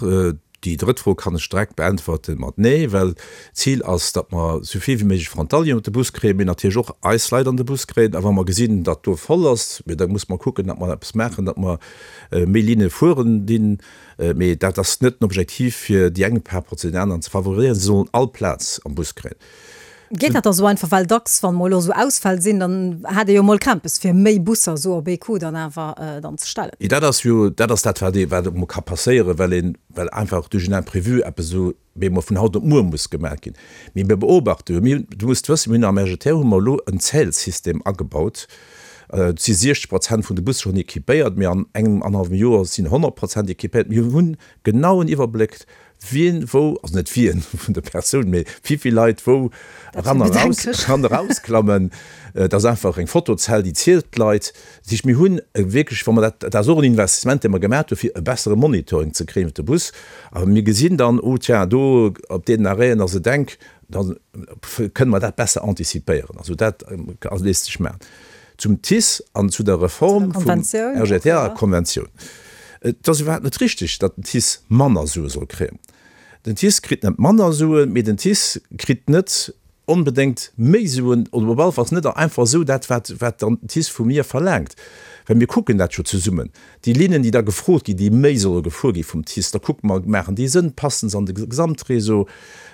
Déi drëtt Fro kann ech direkt beäntwerte mat Nee, well d'Zil ass, datt mer esou vill wéi méiglech Frontalieren op de Bus kréien, mee natierlech och eis Leit an de Bus kréien. A wa mer gesinn, datt do voll ass, mee da muss mer kucken, datt mer eppes maachen, datt mer méi Linne fueren dinn. Mee dat ass net den Objektiv, fir déi eng par rapport zu den aneren ze favoriséieren. Si sollen all Plaz am Bus kréien. Geet dat da sou einfach? Well dacks, wann mol elo sou Ausfäll sinn, dann hat ee jo mol Krämpes, fir méi Busser sou op ee Coup dann awer dann ze stellen. Dat ass jo, dat ass dat, wat ee, wat emol ka passéieren, well een, well einfach duerch en Imprévu eppes esou bemol vun haut op muer muss gemaach ginn. Mee mir beobachte jo, mir hunn, du muss wëssen, mir hunn am R G T R hu mer elo en Zählsystem agebaut. Et si siechzeg Prozent vun de Busse schonn équipéiert, mee an engem annerhallwem Joer sinn honnert Prozent équipéiert. Mir hunn genauen Iwwerbléck, wien wou, also net wien vun de Persounen, mee wéi vill Leit wou eran a raus, eran a rausklammen. Et ass einfach eng Fotozell, déi zielt d'Leit. Dat heescht, mir hunn wierklech, wa mer dat, dat ass och en Investissement, dee mer gemaach hu fir e bessere Monitoring ze kréien iwwer de Bus. A mir gesinn dann, oh tiens, do op deenen Arrêten ass et enk, da kënne mer dat besser antizipéieren. Also dat léisst sech maachen. Zum T I C E an zu der Reform vum R G T R-Konventioun. Et ass iwwerhaapt net richteg, datt den T I C E manner Sue soll kréien. Den T I C E kritt net manner Suen, mee den T I C E kritt net onbedéngt méi Suen, oder op alle Falls net einfach esou dat, wat, wat dann den T I C E vu mir verlaangt. Well mir kucken dat jo zesummen. Déi Linnen, déi da gefrot ginn, déi méi solle gefuer gi vum T I C E, da kucke mer, maachen déi Sënn, passen se an de Gesamtréseau?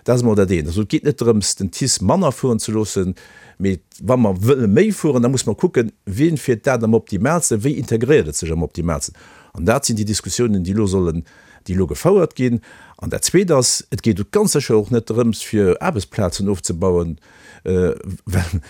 Dat ass emol dat eent. Also et geet net drëms, den T I C E manner fueren ze loossen, mee wa mer wëlle méi fueren, da muss mer kucken, wien fiert dat am optimaalsten, wéi integréiert et sech am optimaalsten. An dat sinn déi Diskussiounen, déi elo sollen, déi elo gefouert ginn. An dat Zweet ass, et geet ganz sécher och net drëms, fir Aarbechtsplazen ofzebauen, well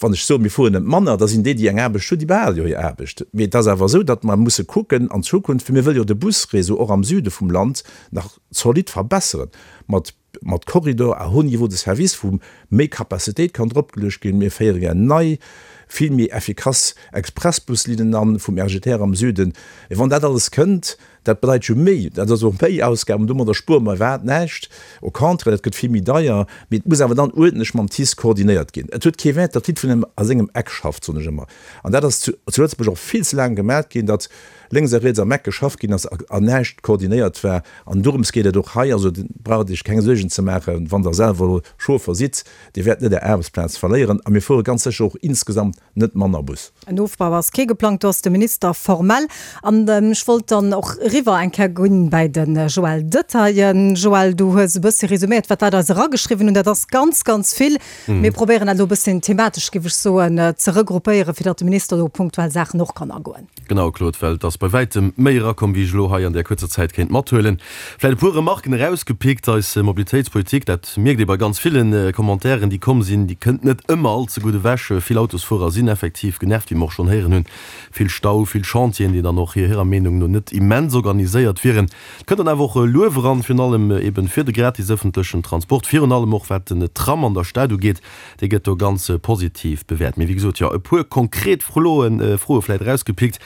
wann ech soen, mir fueren net manner, da sinn déi, déi eng Aarbecht hunn, déi behale jo hir Aarbecht. Mee et ass awer esou, datt mer musse kucken an Zukunft, well mir wëlle jo de Busréseau och am Süde vum Land nach zolidd verbesseren, mat mat Corridor à haut niveau de service, wou méi Capacitéit kann dropgeluecht ginn. Mir féiere gär nei, vill méi effikass Expressbuslinnen an vum R G T R am Süden. Mee wann dat alles kënnt, Dat bedeit jo méi, dat ass och méi Ausgaben, domadder spuere mer iwwerhaapt näischt, au contraire, dat gëtt vill méi deier, mee et muss awer dann uerdentlech mam TICE koordinéiert ginn. Et huet kee Wäert, datt jiddwereen a sengem Eck schafft, soen ech ëmmer. An dat ass zu Lëtzebuerg och vill ze laang gemat ginn, datt lénks a riets am Eck geschafft ginn ass an näischt koordinéiert war. An dorëms geet et och hei. Also braucht Iech keng Suergen ze maachen, wann Der selwer elo Chauffer sidd, Dir wäert net Är Aarbechtsplaz verléieren a mir fuere ganz sécher och insgesamt net manner Bus. En Ofbau ass kee geplangt, do ass de Minister formell. An ech wollt dann och eriwwer eng Kéier goen bäi de Joël Detaille. Joël, du hues e bëssi resuméiert, wat d'Leit eis erageschriwwen hunn. Dat ass ganz, ganz vill. Mir probéieren dat elo e bësschen thematesch, géif ech soen, ze regruppéieren, fir datt de Minister do op punktuell Saachen och kann agoen. Genau, Claude, well et ass bei wäitem méi erakomm, wéi ech elo hei an där kuerzer Zäit kéint mathuelen. Vläicht e puer Remarken erausgepickt. Eis Mobilitéitspolitik, dat mierkt ee bei ganz ville Commentairen, déi komm sinn, déi kënnt net ëmmer all ze gutt ewech. Vill Autosfuerer sinn effektiv genervt, wéi mer och schonn héieren hunn. Vill Stau, vill Chantieren, déi dann och hirer Meenung no net immens organiséiert wieren. Et kënnt dann awer och Luef eran, virun allem eeben fir de gratis ëffentlechen Transport, virun allem och wat den Tram an der Stad ugeet, dee gëtt do ganz positiv bewäert. Mee wéi gesot, jo, e puer konkret Froen, Froe vläicht erausgepickt,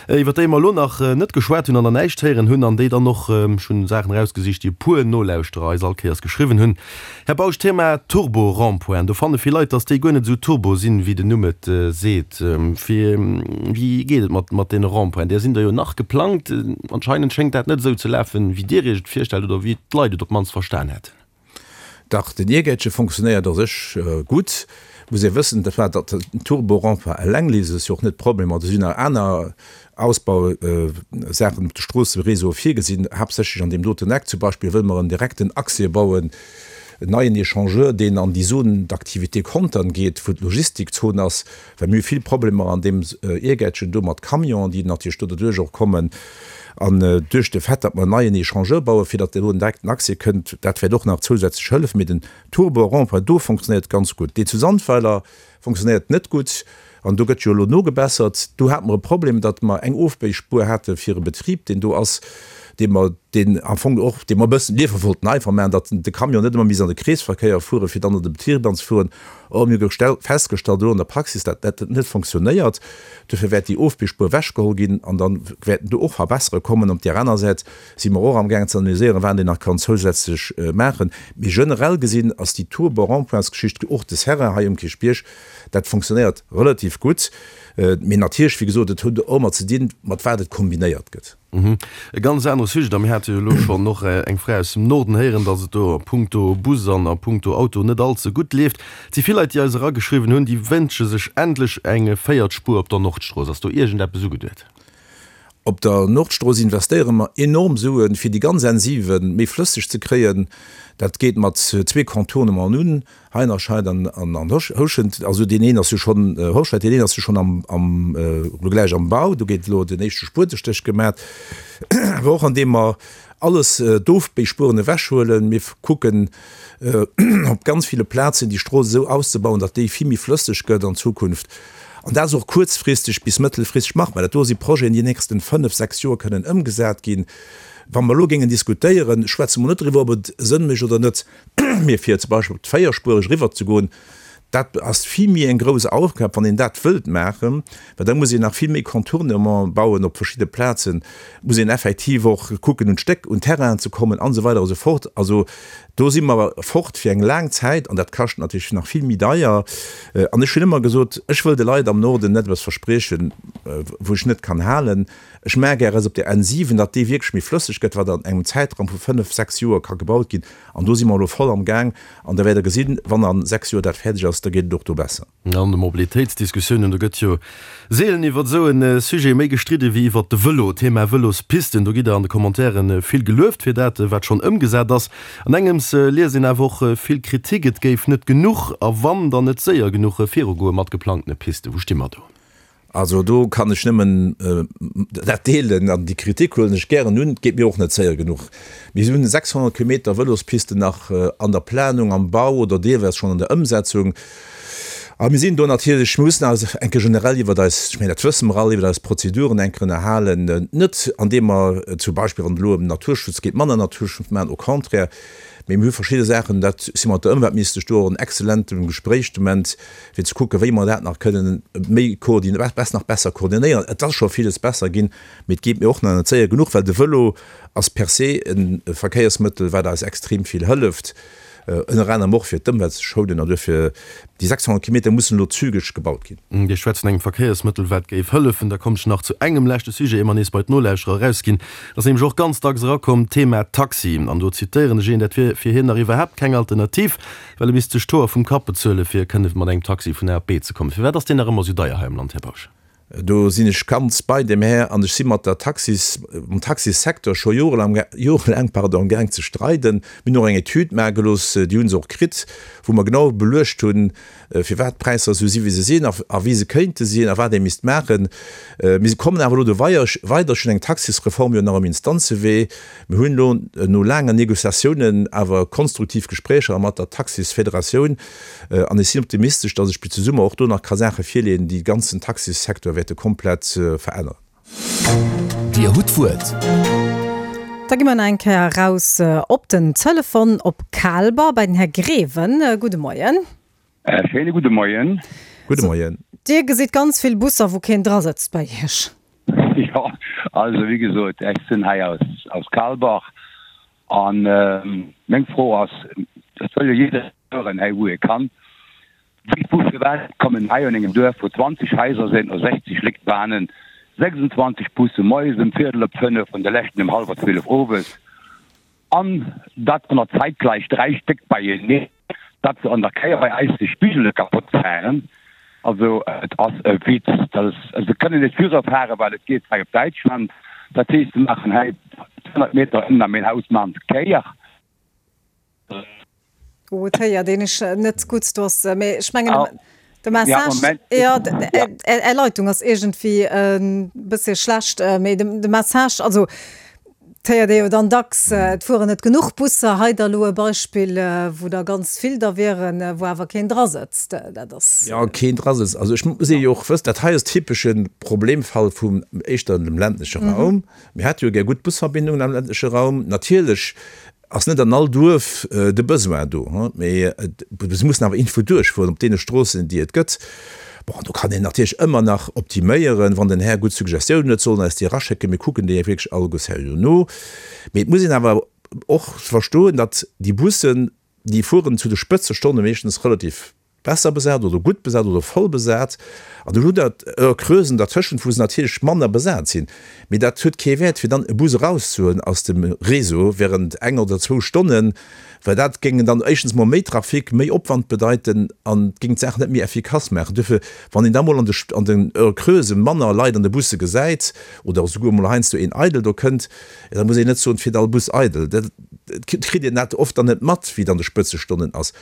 iwwer déi mer elo nach net geschwat hunn an nach näischt héieren hunn an déi dann och, ech hunn Saachen erausgesicht, déi e puer Nolauschterer eis all Kéiers geschriwwen hunn. Här Bausch, Thema Turbo-Rond-pointen, do fanne vill Leit, dass déi guer net esou turbo sinn, wéi den Numm et seet. Fir, wéi geet et mat, mat deene Rond-pointen? Där sinn der jo nach geplangt. Anscheinend schéngt dat net esou ze lafen, wéi Dir Iech et virstellt oder wéi d'Leit et op d'mannst verstan hätten. Dach, den Iergäitche fonctionnéiert a sech gutt. Muss ee wëssen, dat war datt den Turbo-Rond-point eleng léist es jo och net d'Problemer. Do sinn nach aner Ausbausaachen op de Stroosseréseau virgesinn, haaptsächlech an deem doten Eck. Zum Beispill wëlle mer en direkten Accès bauen, en neien Echangeur, deen an déi Zone d'activité Contern geet, wou d'Logistikzon ass, well mir hu vill Problemer an deem Iergäitchen do mat Camionen, déi natierlech do derduerch och kommen. An duerch de Fait, datt mer en neien Echangeur bauen, fir datt do en direkten Accès kënnt, dat wäert och nach zousätzlech hëllefen. Mee den Turbo-Rond-point do fonctionnéiert ganz gutt. Deen zu Sandweiler fonctionnéiert net gutt an do gëtt jo elo nogebessert. Do hate mer e Problem, datt mer eng Ofbéispuer hate fir e Betrib, deen do ass, dee mer, deen am Fong och, dee mer e bëssen liewe wollten einfach maachen, datt de Camion net ëmmer misst an de Kreesverkéier fueren, fir dann an de Betrib anzefueren. Or, mir hu festgestallt elo an der Praxis, datt dat net fonctionnéiert. Dofir wäert déi Ofbispuer ewechgeholl ginn an da wäerten do och Verbesserunge kommen. Op där aner Säit si mer och amgaangen ze analyséieren, wat een nach kann zousätzlech maachen. Mee generell gesinn ass déi Turbo-Rond-points-Geschicht, och de Terrain hei um Kierchbierg, dat fonctionnéiert relativ gutt. Mee natierlech, wéi gesot, et huet och ëmmer ze dinn, mat wat et kombinéiert gëtt. E ganz anere Sujet, a mir hate jo elo schonn och eng Fra aus dem Norden héieren, datt et do a puncto Bus an a puncto Auto net all ze gutt leeft. Et si vill Leit, déi eis erageschriwwen hunn, déi wënsche sech endlech eng véiert Spuer op der Nordstrooss. Ass do iergendeppes ugeduet? Op der Nordstrooss investéiere mer enorm Suen, fir déi ganz N siwen méi flësseg ze kréien. Dat geet mat zwee Contournementen un, Heinerscheid an an Houschent. Also deen een ass jo schonn, Hoscheit, deen een ass jo schonn am, am, elo gläich am Bau. Do gétt elo den éischte Spuetestéch gemat. Awer och andeem mer alles d'Ofbéispueren ewechhuelen. Mir kucken op ganz ville Plazen déi Strooss esou auszebauen, datt déi vill méi flësseg gëtt an Zukunft. An dat ass och kuerzfristeg bis mëttelfristeg machbar. Dat do si Projeten, déi an den nächsten fënnef, sechs Joer kënnen ëmgesat ginn. Wa mer elo géingen diskutéieren, schwätze mer net driwwer, ob et Sënn mécht oder net, mee fir zum Beispill op d'Véierspuereg eriwwerzegoen, dat ass vill méi eng grouss Aufgab, wann een dat wëllt maachen, well da muss een nach vill méi Contournement bauen op verschidde Plazen, muss een effektiv och kucken, un d'Stéck, un Terrainen ze kommen an esou weider a sou fort. Also do si mer fort fir eng laang Zäit an dat kascht natierlech nach vill méi deier. An ech hunn ëmmer gesot, ech wëll de Leit am Norden net eppes verspriechen, wou ech net kann halen. Ech maache gär eppes op der N siwen, datt déi wierklech méi flësseg gëtt, wat an engem Zäitraum vu fënnef, sechs Joer ka gebaut ginn. An do si mer elo voll am Gaang. An da wäert Der gesinn, wann a sechs Joer dat fäerdeg ass, da geet et och do besser. An de Mobilitéitsdiskussiounen, do gëtt jo seelen iwwer esou e Sujet méi gestridde wéi iwwer de Vëlo. Thema Vëlospisten, do gitt Der an de Commentairen vill gelueft fir dat, wat schonn ëmgesat ass. An engems liest een awer och vill Kritik, et géif net genuch a wann, dann net séier genuch virugoe mat geplangtene Pisten. Wou sti mer do? Also do kann ech nëmmen dat deelen an déi Kritik huelen ech gären un. Et geet mir och net séier genuch. Mir hunn sechshonnert Kilometer Vëlospisten nach an der Planung, am Bau oder deelweis schonn an der Ëmsetzung. A mir sinn do natierlech, mir mussen eis eng Kéier generell iwwert eis, ech mengen, dat wësse mer all, iwwert eis Prozeduren eng Kéier ënnerhalen, net andeem mer zum Beispill, wann et elo ëm Naturschutz geet, manner Naturschutz maachen, au contraire, mee mir hu verschidde Saachen, dat si mat der Ëmweltministesch do och en exzellentem Gespréich de Moment, fir ze kucken, wéi mer dat nach kënnen méi koordin, nach besser koordinéieren. Et ass scho villes besser ginn, mee et geet mir och nach net séier genuch, well de Vëlo ass per se e Verkéiersmëttel, wat eis extrem vill hëlleft. Ënner anerem och fir d'Ëmwelt ze schounen an duerfir déi sechshonnert Kilometer mussen elo zügeg gebaut ginn. Dir schwätzt vun engem Verkéiersmëttel, wat géif hëllefen. Da kommen ech nach zu engem leschte Sujet, ier mer nees bei d'Nolauschterer erausginn. Dat ass nämlech och ganz dacks erakomm, d'Thema Taxi. An do zitéieren ech een, dat wier fir hien nach iwwerhaapt keng Alternativ, well e misst sech d'Hoer vum Kapp bezuelen, fir kënne mat engem Taxi vun A op B ze kommen. Firwat ass deen nach ëmmer esou deier hei am Land, Här Bausch? Do sinn ech ganz bei dem Här an ech si mat der Taxis, mam Taxissecteur scho jorelaang, jorelaang, pardon, amgaang ze streiden. Mir hunn och eng Etüd maache gelooss, déi hu se och kritt, wou mer genau beluecht hunn, firwat d'Präisser esou si wéi se sinn a a wéi se kéinte sinn a wat ee misst maachen. Mir kommen awer elo do weider. Ech hunn eng Taxisreform jo nach um Instanzewee. Mir hunn elo no laangen Négociatiounen awer konstruktiv Gespréicher mat der Taxisfederatioun an ech sinn optimistesch, datt ech bis de Summer och do nach ka Saache virleeën, déi de ganzen Taxissecteur wäerte komplett veränneren. Dir hutt d'Wuert. Da gi mer nach eng Kéier eraus op den Telefon op Kaalber bei den Här Greven. Gudde Moien. Schéine gudde Moien. Gudde Moien. Dir gesitt ganz vill Busser, wou keen drasëtzt bei Iech. Jo, also wéi gesot, ech sinn hei aus, aus Kaalbach an meng Fro ass, et soll jo jidderee fueren hei wou e kann, wéi, wou, firwat kommen hei an engem Duerf wou zwanzeg Haiser sinn a sechzeg Lékt Bahnen, sechsundzwanzeg Busse moies ëm Viertel op fënnef an de leschten ëm hallwer zwielef owes an dat ënner zäitgläich dräi Stéck beieneen, dat se an der Kéier bei eis de Spigele kapott fahren. Also et ass e Witz, dass se kënnen net viru fare well et geet hei op Däitschland. Dat heescht se maachen hei zweehonnert Meter ënner mäin Haus maachen se d'Kéier. Oh, et héiert een iech net gutt, do ass, mee ech mengen de Message, jo, Är Leitung ass iergendwéi e bëssche schlecht, mee de Message, also Et héiert ee jo dann dacks, et fueren net genuch Busser. Hei da lo e Beispill, wou der ganz vill da wieren, wou awer keen drasëtzt. Dat ass. Jo, keen drasëtzt. Also ech muss ee jo och wëssen, dat hei ass typesche Problemfall vum éischter dem ländleche Raum. Mir hätte jo gär gutt Busverbindungen am ländleche Raum. Natierlech ass net an all Duerf de Besoin do, mee se mussen awer iergendwou duerchfueren op deene Stroossen, déi et gëtt. Bon, do kann een natierlech ëmmer nach optiméieren. Wann den Här gutt Suggestiounen huet, soll en eis déi eraschécken. Mir kucken déi wierklech alleguer seriö no. Mee et muss een awer och verstoen, datt déi Bussen, déi fueren zu de Spëtzestonne meeschtens relativ besser besat oder gutt besat oder voll besat. An du hutt Der Heure-creusen dertëschent, wou se natierlech manner besat sinn. Mee dat huet kee Wäert, fir dann e Bus erauszehuelen aus dem Réseau während eng oder zwou Stonnen, well dat géing dann éischtens mol méi Trafic, méi Opwand bedeiten an géing d'Saach net méi effikass maachen. Duerfir, wann een da mol an de an den Heures creuses manner Leit an de Busse gesäit oder esouguer mol heiansdo een eidel do kënnt, da muss een net soen, et fiert all Bus eidel. Dat kritt een dat oft dann net mat, wéi et an de Spëtzestonnen ass.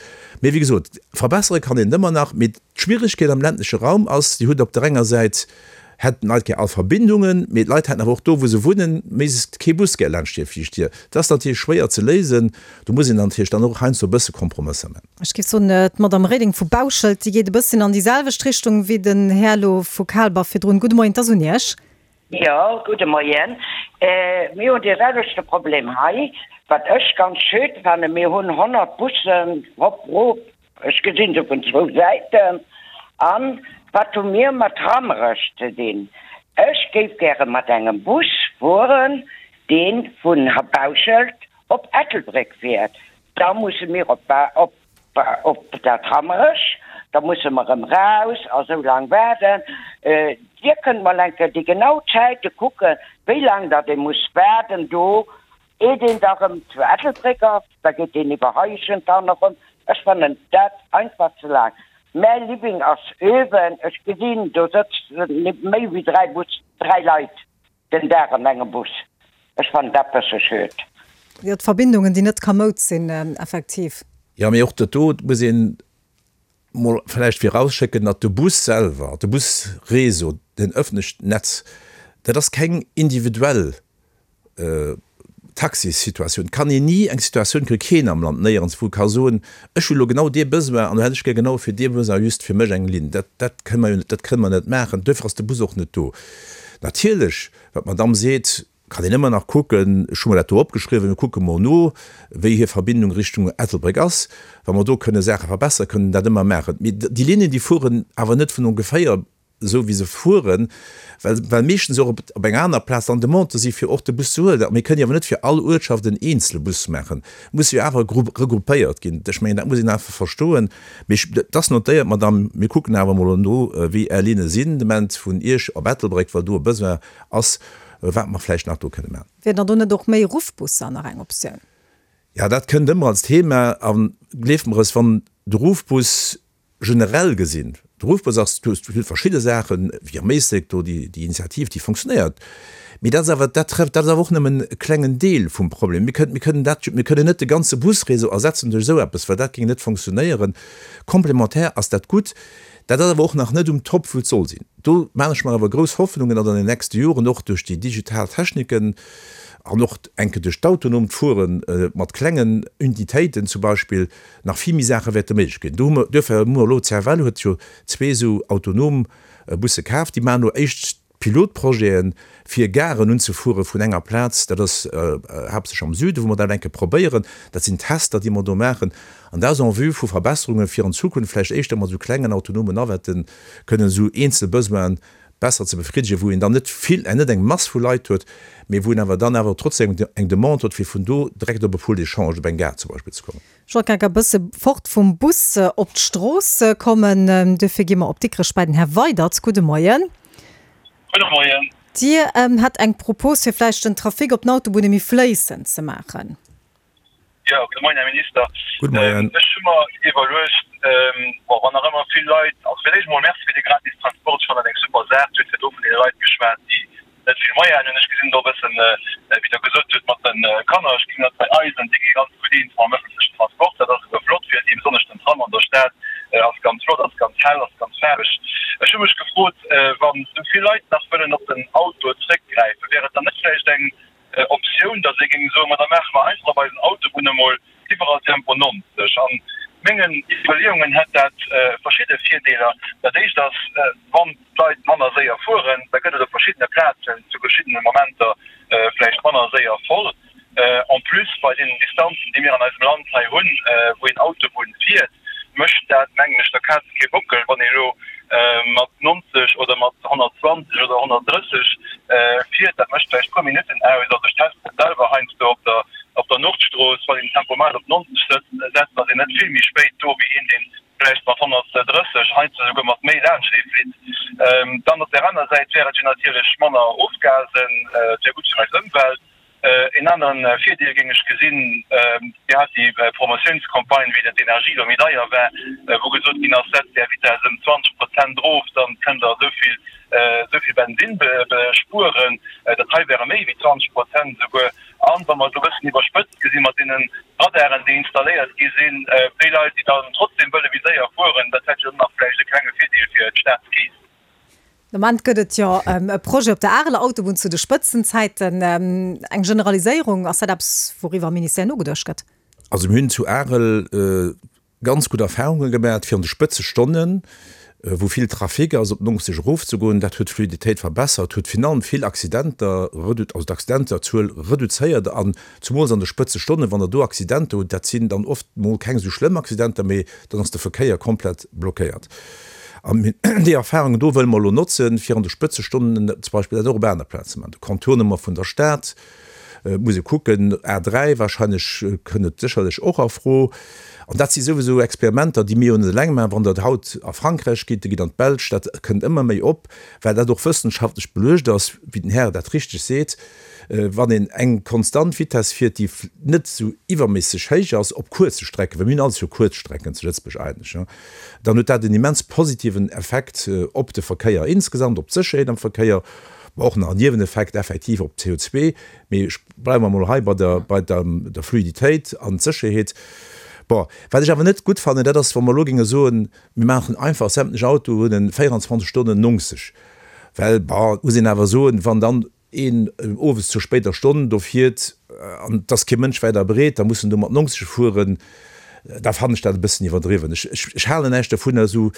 Mee wéi gesot, verbessere kann een et ëmmer nach. Mee d'Schwieregkeet am ländleche Raum ass, Dir hutt op der enger Säit hätten d'Leit gär all Verbindungen, mee d'Leit hätten awer och do, wou se wunnen, méiglechst kee Bus gär laanscht hir viischt Dier. Dat ass natierlech schwéier ze léisen. Do muss een dann natierlech dann och heiansdo e bësse Kompromësser maachen. Ech géif soen, d'Madame Reding vu Bauschelt, déi geet e bësschen an déi selwecht Richtung wéi den Här elo vu Kaalber virdrun. Gudde Moien, 't ass un Iech. Jo, gudde Moien. Mir hunn dee selwechte Problem hei, wat ech ganz schöd fannen. Mir hunn honnert Bussen hopp rop, ech gesinn se vun zwou Säiten. An wat hu mir mat Rammerech ze dinn? Ech géif gäre mat engem Bus fueren, dee vun Bauschelt op Ettelbréck fiert. Da musse mir op op Op dat Rammerech, da musse mer erëm raus a sou laang waarden. Dir kënnt mol eng Kéier déi genau Zäite kucken, wéi laang datt ee muss waarden do, eet een da erëm zu Ettelbréck ass. Da geet een iwwer Heischent dann erëm. Ech fannen dat einfach ze laang. Mäi Living ass uewen, ech gesinn, do sëtzen méi wéi dräi Bus, dräi Leit. Den Dag an engem Bus. Ech fannen dat bësse schued. Jo, d'Verbindungen, déi net kamoud sinn, effektiv. Jo, mee och dat do muss een mol vläicht virausschécken, datt de Bus selwer, de Busréseau, den öffentlecht Netz, dat ass keng individuell Taxissituatioun. Et kann een ni eng Situatioun kréien, keen am Land, néierenswou ka soen, ech hu lo genau dee Besoin an do hätt ech gär genau fir dee Besoin just fir mech eng Linn. Dat, dat kënne mer jo net, dat kënne mer net maachen. Duerfir ass de Bus och net do. Natierlech, wat d'Madamm seet, kann een ëmmer nach kucken, ech hu mer dat do opgeschriwwen, mir kucke mol no, wéi hir Verbindung Richtung Ettelbréck ass. Wa mer do kënne Saache verbessern, kënnen dat ëmmer maachen. Mee déi Linnen, déi fueren awer net vun ongeféier esou wéi se fueren, well, well meeschtens och op, op eng aner Plaz dann Demandë si fir och de Bus ze huelen. A mir kënnen jo awer net fir all Uertschaft en eenzele Bus maachen. Et muss jo awer regroupéiert ginn. Ech mengen, dat muss een einfach verstoen. Mee ech, et ass notéiert, Madame, mir kucken awer emol no, wéi Är Linne sinn de Moment vun Iech op Ettelbréck, well do e Besoin ass, wat mer vläicht nach do kënne maachen. Wier dann do net och méi Ruffbusser nach eng Optioun? Jo, dat kënnt ëmmer als Thema. A gleeft mer es, wann de Ruffbus generell gesinn, de Ruffbus ass, du hues verschidde Saachen, wéi am Éislek do, déi Initiativ, déi fonctionnéiert, mee dat ass awer, dat trefft, dat ass awer och nëmmen e klengen Deel vum Problem. Mir kënnen, mir kënnen dat, mir kënnen net de ganze Busréseau ersetzen duerch esou eppes, well dat géing net fonctionnéieren. Komplementär ass dat gutt, dat ass awer och nach net um Top, wou et soll sinn. Do maachen ech mer awer grouss Hoffnungen, datt an den nächste Joren och duerch déi digital Techniken an och enke duerch d'autonomt Fuere mat klengen Unitéiten zum Beispill nach vill méi Saache wäerte méiglech ginn. Do hu mer, duerfir hu mer elo, d'CFL huet jo zwee esou autonom Busse kaf, déi maachen elo éischt Pilotprojeten, fir Garen unzefuere vun enger Plaz, dat ass haaptsächlech am Süden, wou mer dat enke probéieren. Dat sinn Tester, déi mer do maachen, an dat ass en vue vu Verbesserungen, fir an Zukunft vläicht éischter mat esou klengen autonomen Navetten kënnen esou eenzel Besoinen besser ze befriddegen, wou een dann net vill, net eng Mass vu Leit huet, mee wou een awer dann awer trotzdem eng Demande huet, fir vun do direkt op e Pool d'échange, op eng Gare zum Beispill ze kommen. Ech wollt grad e bësse fort vum Bus op d'Strooss kommen. Duerfir gi mer op Dikrech bei den Här Weydert. Gudde Moien. Gudde Moien. Dir hat eng Propos, fir vläicht den Trafic op den Autobunne méi fléissend ze maachen. Jo, gudde Moien, Här Minister. Gudde Moien. Ech hu mer iwwerluecht, bon, wann nach ëmmer vill Leit, also fir d'éischt emol Merci fir de gratis Transport, ech fannen dat eng super Saach. Dir hutt virdru vun deene Leit geschwat, déi net vill Moyenen hunn. Ech gesinn do e bëssen, wéi Der gesot hutt, mat de Kanner, ech gesinn dat bei eis an déi gi ganz gutt eens mam ëffentlechen Transport. Dat ass esouguer flott fir si, besonnesch den Tram an der Stad ass ganz flott, ass ganz hell, ass ganz faarweg. Ech hu mech gefrot, wann esou vill Leit nach wëllen op den Auto zréckgräifen, wär et dann net vläicht eng Optioun, datt ee géing soen, ma da maache mer einfach op eisen Autobunne mol iwwerall Tempo neunzeg. An mengen Iwwerleeungen hätt dat verschidde Virdeeler. Dat éischt ass, wann d'Leit manner séier fueren, da gëtt et op verschiddene Plazen zu verschiddene Momenter vläicht manner séier voll. En plus, bei deenen Distanzen, déi mir an eisem Land hei hunn, wou een Autobunn fiert, mécht dat, mengen ech, der Kaz kee Bockel, wann ee elo mat neunzeg oder mat honnertzwanzeg oder honnertdrësseg fiert. Dat mécht vläicht puer Minutten aus. Also ech testen et selwer heiansdo op der, op der Nordstrooss, wann een den Tempomat op neunzeg setzt, ass een net vill méi spéit do wéi een, dee vläicht mat honnertdrësseg, heiansdo esouguer mat méi laanschtee flitt. Dann op där aner Säit wär et jo natierlech manner Ofgasen, et wär gutt fir eis Ëmwelt. Een aneren Virdeel géing ech gesinn, Dir hat déi Promotiounscampagne, wéi dat d'Energie elo méi deier war, wou gesot ginn ass, setzt Är Vitess ëm zwanzeg Prozent erof, dann kënnt Der esou vill, esou vill Bensinn spueren. Dat hei wäre méi wéi zwanzeg Prozent esouguer. An wa mer et elo e bëssen iwwerspëtzt gesinn, mat deene Radaren, déi installéiert gi sinn, déi Leit, déi dann trotzdem wëlle méi séier fueren, dat hätt jo dann nach vläicht e klenge Virdeel fir d'Staatskeess. De Moment gëtt et jo e Projet op der Areler Autobunn zu de Spëtzenzäiten. Eng Generaliséierung, ass dat eppes, wouriwwer am Ministère nogeduecht gëtt? Also mir hunn zu Arel ganz gutt Erfahrunge gemaach, fir an de Spëtzestonnen, wou vill Trafic ass, op neunzeg erofzegoen. Dat huet d'Fluiditéit verbessert, huet virun allem vill Accidenter, also d'Accidenterzuel reduzéiert an zumools an de Spëtzestonnen, wann Der do Accidenter hutt, dat sinn dann oft mol keng esou schlëmm Accidenter, mee dann ass de Verkéier komplett blockéiert. An déi Erfahrungen do wëlle mer elo notzen, fir an de Spëtzestonnen zum Beispill dat och op aner Plazen ze maachen. De Contournement vun der Stad muss ee kucken, A dräi wahrscheinlech kënn et sécherlech och a Fro. An dat si souwisou Experimenter, déi mir jo net eleng maachen. Wann Der haut a Frankräich gitt, Der gitt an d'Belsch, dat kënnt ëmmer méi op, well dat och wëssenschaftlech beluecht ass, wéi den Här dat richteg seet, wann een eng konstant Vitess fiert, déi net esou iwwerméisseg héich ass op kuerze Strecken, well mir hunn alles jo kuerz Strecken zu Lëtzebuerg eigentlech, dann huet dat en immens positiven Effekt op de Verkéier insgesamt, op d'Sécherheet am Verkéier, ma och nach en Nieweneffekt effektiv op d'C O zwee. Mee ech bleiwe mer emol hei bei der, bei der, der Fluiditéit an d'Sécherheet. Bon, wat ech awer net gutt fannen, dat ass, wa mer elo géinge soen, mir maachen einfach sämtlech Autoen véierundzwanzeg Stonnen neunzeg, well, bon, et muss een awer soen, wann dann een owes zur spéider Stonn do fiert an et ass kee Mënsch wäit a breet, da muss en do mat neunzeg fueren, da fannen ech dat e bëssen iwwerdriwwen. Ech, ech, ech halen näischt dovunner, esou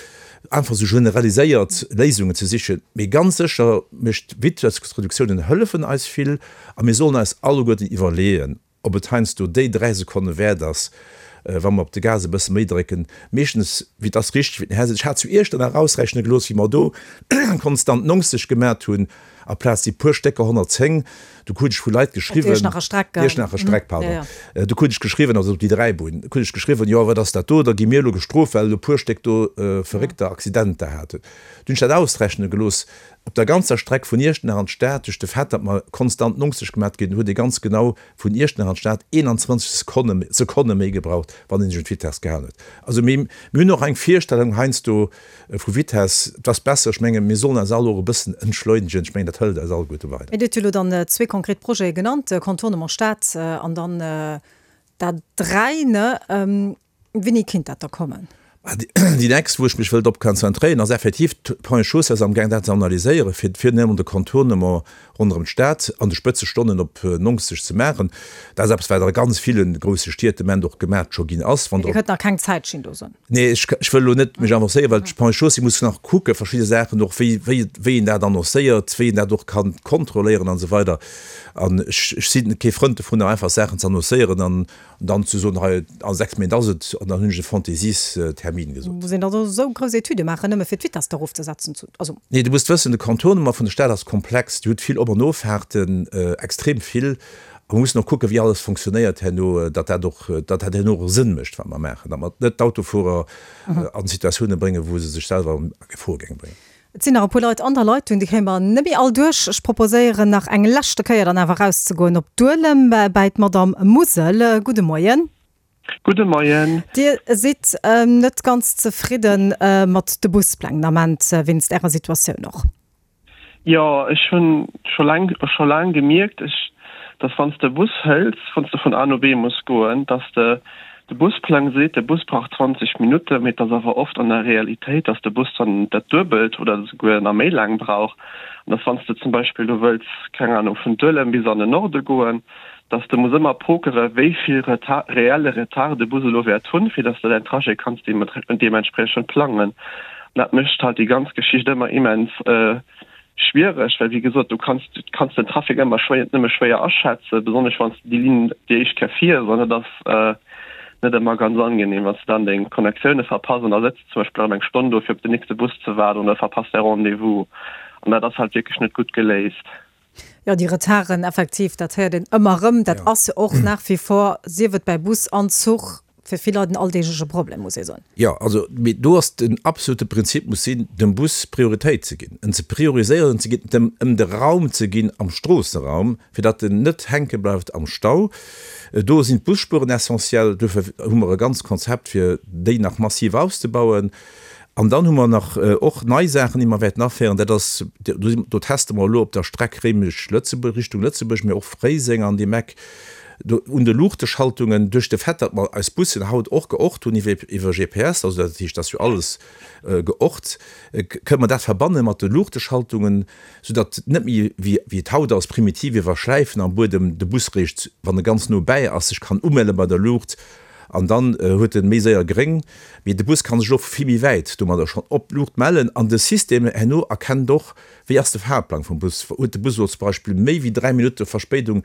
einfach esou generaliséiert Léisungen ze sichen. Mee ganz sécher mécht Vitessreduktiounen hëllefen eis vill a mir sollen eis alleguerten iwwerleeën, ob et heiansdo déi dräi Sekonne wäert ass, wa mer op de Gas e bësse méi drécken. Meeschtens, wéi et ass richteg, wéi den Här seet, ech hat zu Iechternach ausrechne gelooss, wéi mer do konstant neunzeg gemat hunn aplaz déi puer Stécker honnertzéng, du krut ech vu Leit geschriwwen, Op d'Iechternacher Streck, Iechternacher Streck, pardon, du krut ech geschriwwen, also op déi Dräibunn, krut ech geschriwwen, jo wat ass dat do, da gi mir elo gestrooft, well elo e puer Stéck do verréckter Accidenter haten. Du hunn ech dat ausrechne gelooss, op der ganzer Streck vun Iechternach an d'Stad, duerch de Fait, datt mer konstant neunzeg gemat ginn, huet ee ganz genau vun Iechternach an d'Stad eenanzwanzeg Sekonne Sekonne méi gebraucht, wann een sech un d'Vitess gehalen huet. Also mir mir hunn och eng Virstellung heiansdo vu Vitess, et ass besser, ech menge mir sollen eis all och e bëssen entschleunegen, ech mengen dat hëlt eis alleguerte weider. Mee Dir hutt jo elo dann zwee konkret Projete genannt, Contournement Stad an dann d'A dräi, ne? Wéini kinnt dat da kommen? Déi nächst, wou ech mech wëll drop konzentréieren, ass effektiv, d'Ponts et Chaussées ass amgaang dat ze analyséieren, fir fir nëmmen de Contournement ronderëm d'Stad an de Spëtzestonnen op neunzeg ze maachen. Dat ass eppes, wat a ganz ville grousse Stied de Moment och gemat scho ginn ass. Wann Dir kënnt nach keng Zäitschinn do soen. Nee, ech ech wëll elo net mech avancéieren, well d'Ponts et Chaussées muss nach kucke verschidde Saachen och, wéi wéi wéi een dat annoncéiert, wéi een dat och kann kontrolléieren an esou weider. An ech ech sinn kee Frënd dovunner, einfach Saachen ze annoncéieren an dann ze soen, hei a sechs Méint ass et, an dann hunn ech e Fantaisie-Termin gesot. Muss een da esou grouss Etüde maachen, nëmme fir d'Vitess da erofzesetzen? Also. Nee, du muss wëssen, de Contournement vun der Stad ass komplex, Dir hutt vill Op an Offahrten, extrem vill, a mer mussen och kucken, wéi alles fonctionnéiert herno, datt dat och, datt dat herno och Sënn mécht, wat mer maachen, datt mer net d'Autofuerer an Situatiounen bréngen, wou se sech selwer a Gefor géinge bréngen. Et sinn nach e puer Leit an der Leitung, déi kréie mer net méi all duerch. Ech proposéieren nach eng leschte Kéier dann awer erauszegoen op Duelem bäi d'Madamm Musel. Gudde Moien. Gudde Moien. Dir sidd net ganz zefridde mat de Buspläng den Ament, wéinst Ärer Situatioun och? Jo, ech hunn scho laang, scho laang gemierkt, ech, dass wann s de Bus hëls, wann s de vun A no B muss goen, dass de, de Busplang seet, de Bus brauch zwanzeg Minutten, mee et ass awer oft an der Realitéit, dass de Bus dann dat Duebelt oder esouguer nach méi laang brauch. An dass wann s de zum Beispill elo wëlls, keng Ahnung, vun Duelem bis an den Norde goen, dass de muss ëmmer pokere wéi vill Retard, reelle Retard de Bus elo wäert hunn, fir dass de däin Trajet kanns deementspriechend plangen. An dat mécht halt déi ganz Geschicht ëmmer immens schwiereg, well wéi gesot, du kanns du kanns den Trafic ëmmer schwéier, nëmme schwéier aschätzen, besonnesch wann s de déi Linn déi éischt Kéier fiers. An et ass net ëmmer ganz angenehm, wann s de dann deng Connectioune verpass an da sëtz de zum Beispill erëm eng Stonn do fir op den nächste Bus ze waarden oder verpass däi Rendez-vous. An dat ass halt wierklech net gutt geléist. Jo, déi Retarden, effektiv, dat héiert een ëmmer erëm. Dat ass jo och nach wie vor, sief et bäi Bus an Zuch, fir vill Leit en alldeegleche Problem, muss ee soen. Jo, also, mee do ass den absolute Prinzip muss sinn, dem Bus Prioritéit ze ginn, en ze prioriséieren, ze ginn, dem em de Raum ze ginn am Stroosseraum, fir datt en net hänke bleift am Stau. Do sinn d'Busspuren essentiell. Duerfir hu mer e ganzt Konzept, fir déi nach massiv auszebauen. An dann hu mer nach och nei Saachen, déi mer wäerten aféieren. Dat ass, do teste mer elo op der Streck Réimech-Lëtzebuerg, Richtung Lëtzebuerg, mee och Fréiseng an deem Eck, do un de Luuchteschaltungen, duerch de Fait, datt mer eis Bussen haut och geort hunn iwwer iwwer G P S, also dat heescht, dat ass jo alles geort, kënne mer dat verbanne mat de Luuchteschaltungen, soudatt net méi, wéi wéi et haut ass, primitiv iwwer Schläifen am Buedem de Bus réischt, wann e ganz no bäi ass, sech kann umelle bei der Luucht. An dann huet en méi séier gréng. Mee de Bus kann sech och vu vill méi wäit domadder schonn op d'Luucht mellen. An de System herno erkennt och, wéi ass de Fahrplang vum Bus. Huet de Bus elo zum Beispill méi wéi dräi Minutte Verspéidung,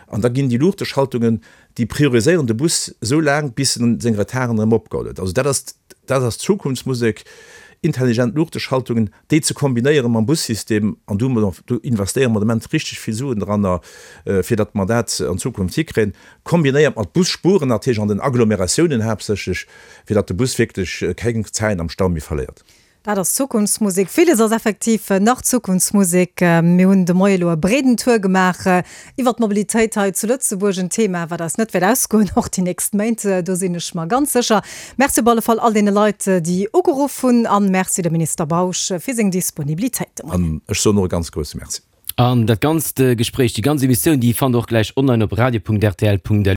an da ginn déi Luuchteschaltungen, déi prioriséieren de Bus esou laang, bis en seng Retarden erëm opgeholl huet. Also dat ass, dat ass Zukunftsmusek. Intelligent Luuchteschaltungen, déi ze kombinéiere mam Bussystem, an do do investéiere mer de Moment richteg vill Suen dranner, fir datt mer dat an Zukunft hikréien, kombinéiert mat Busspuren natierlech an den Agglomeratiounen haaptsächlech, fir datt de Bus wierklech keng Zäit am Stau méi verléiert. Dat ass Zukunftsmusek. Villes ass effektiv nach Zukunftsmusek. Mir hunn de Moie elo e breeden Tour gemaach iwwer d'Mobilitéit hei zu Lëtzebuerg, en Thema, wat eis net wäert ausgoen, och déi nächst Méint, do sinn ech mer ganz sécher. Merci op alle Fall all deene Leit, déi ugeruff hunn an Merci dem Minister Bausch fir seng Disponibilitéit de Moien. An ech soen och e ganz grousse Merci. An dat ganzt Gespréich, déi ganz Emissioun, déi fannt der och gläich online op radio punkt rtl punkt lu.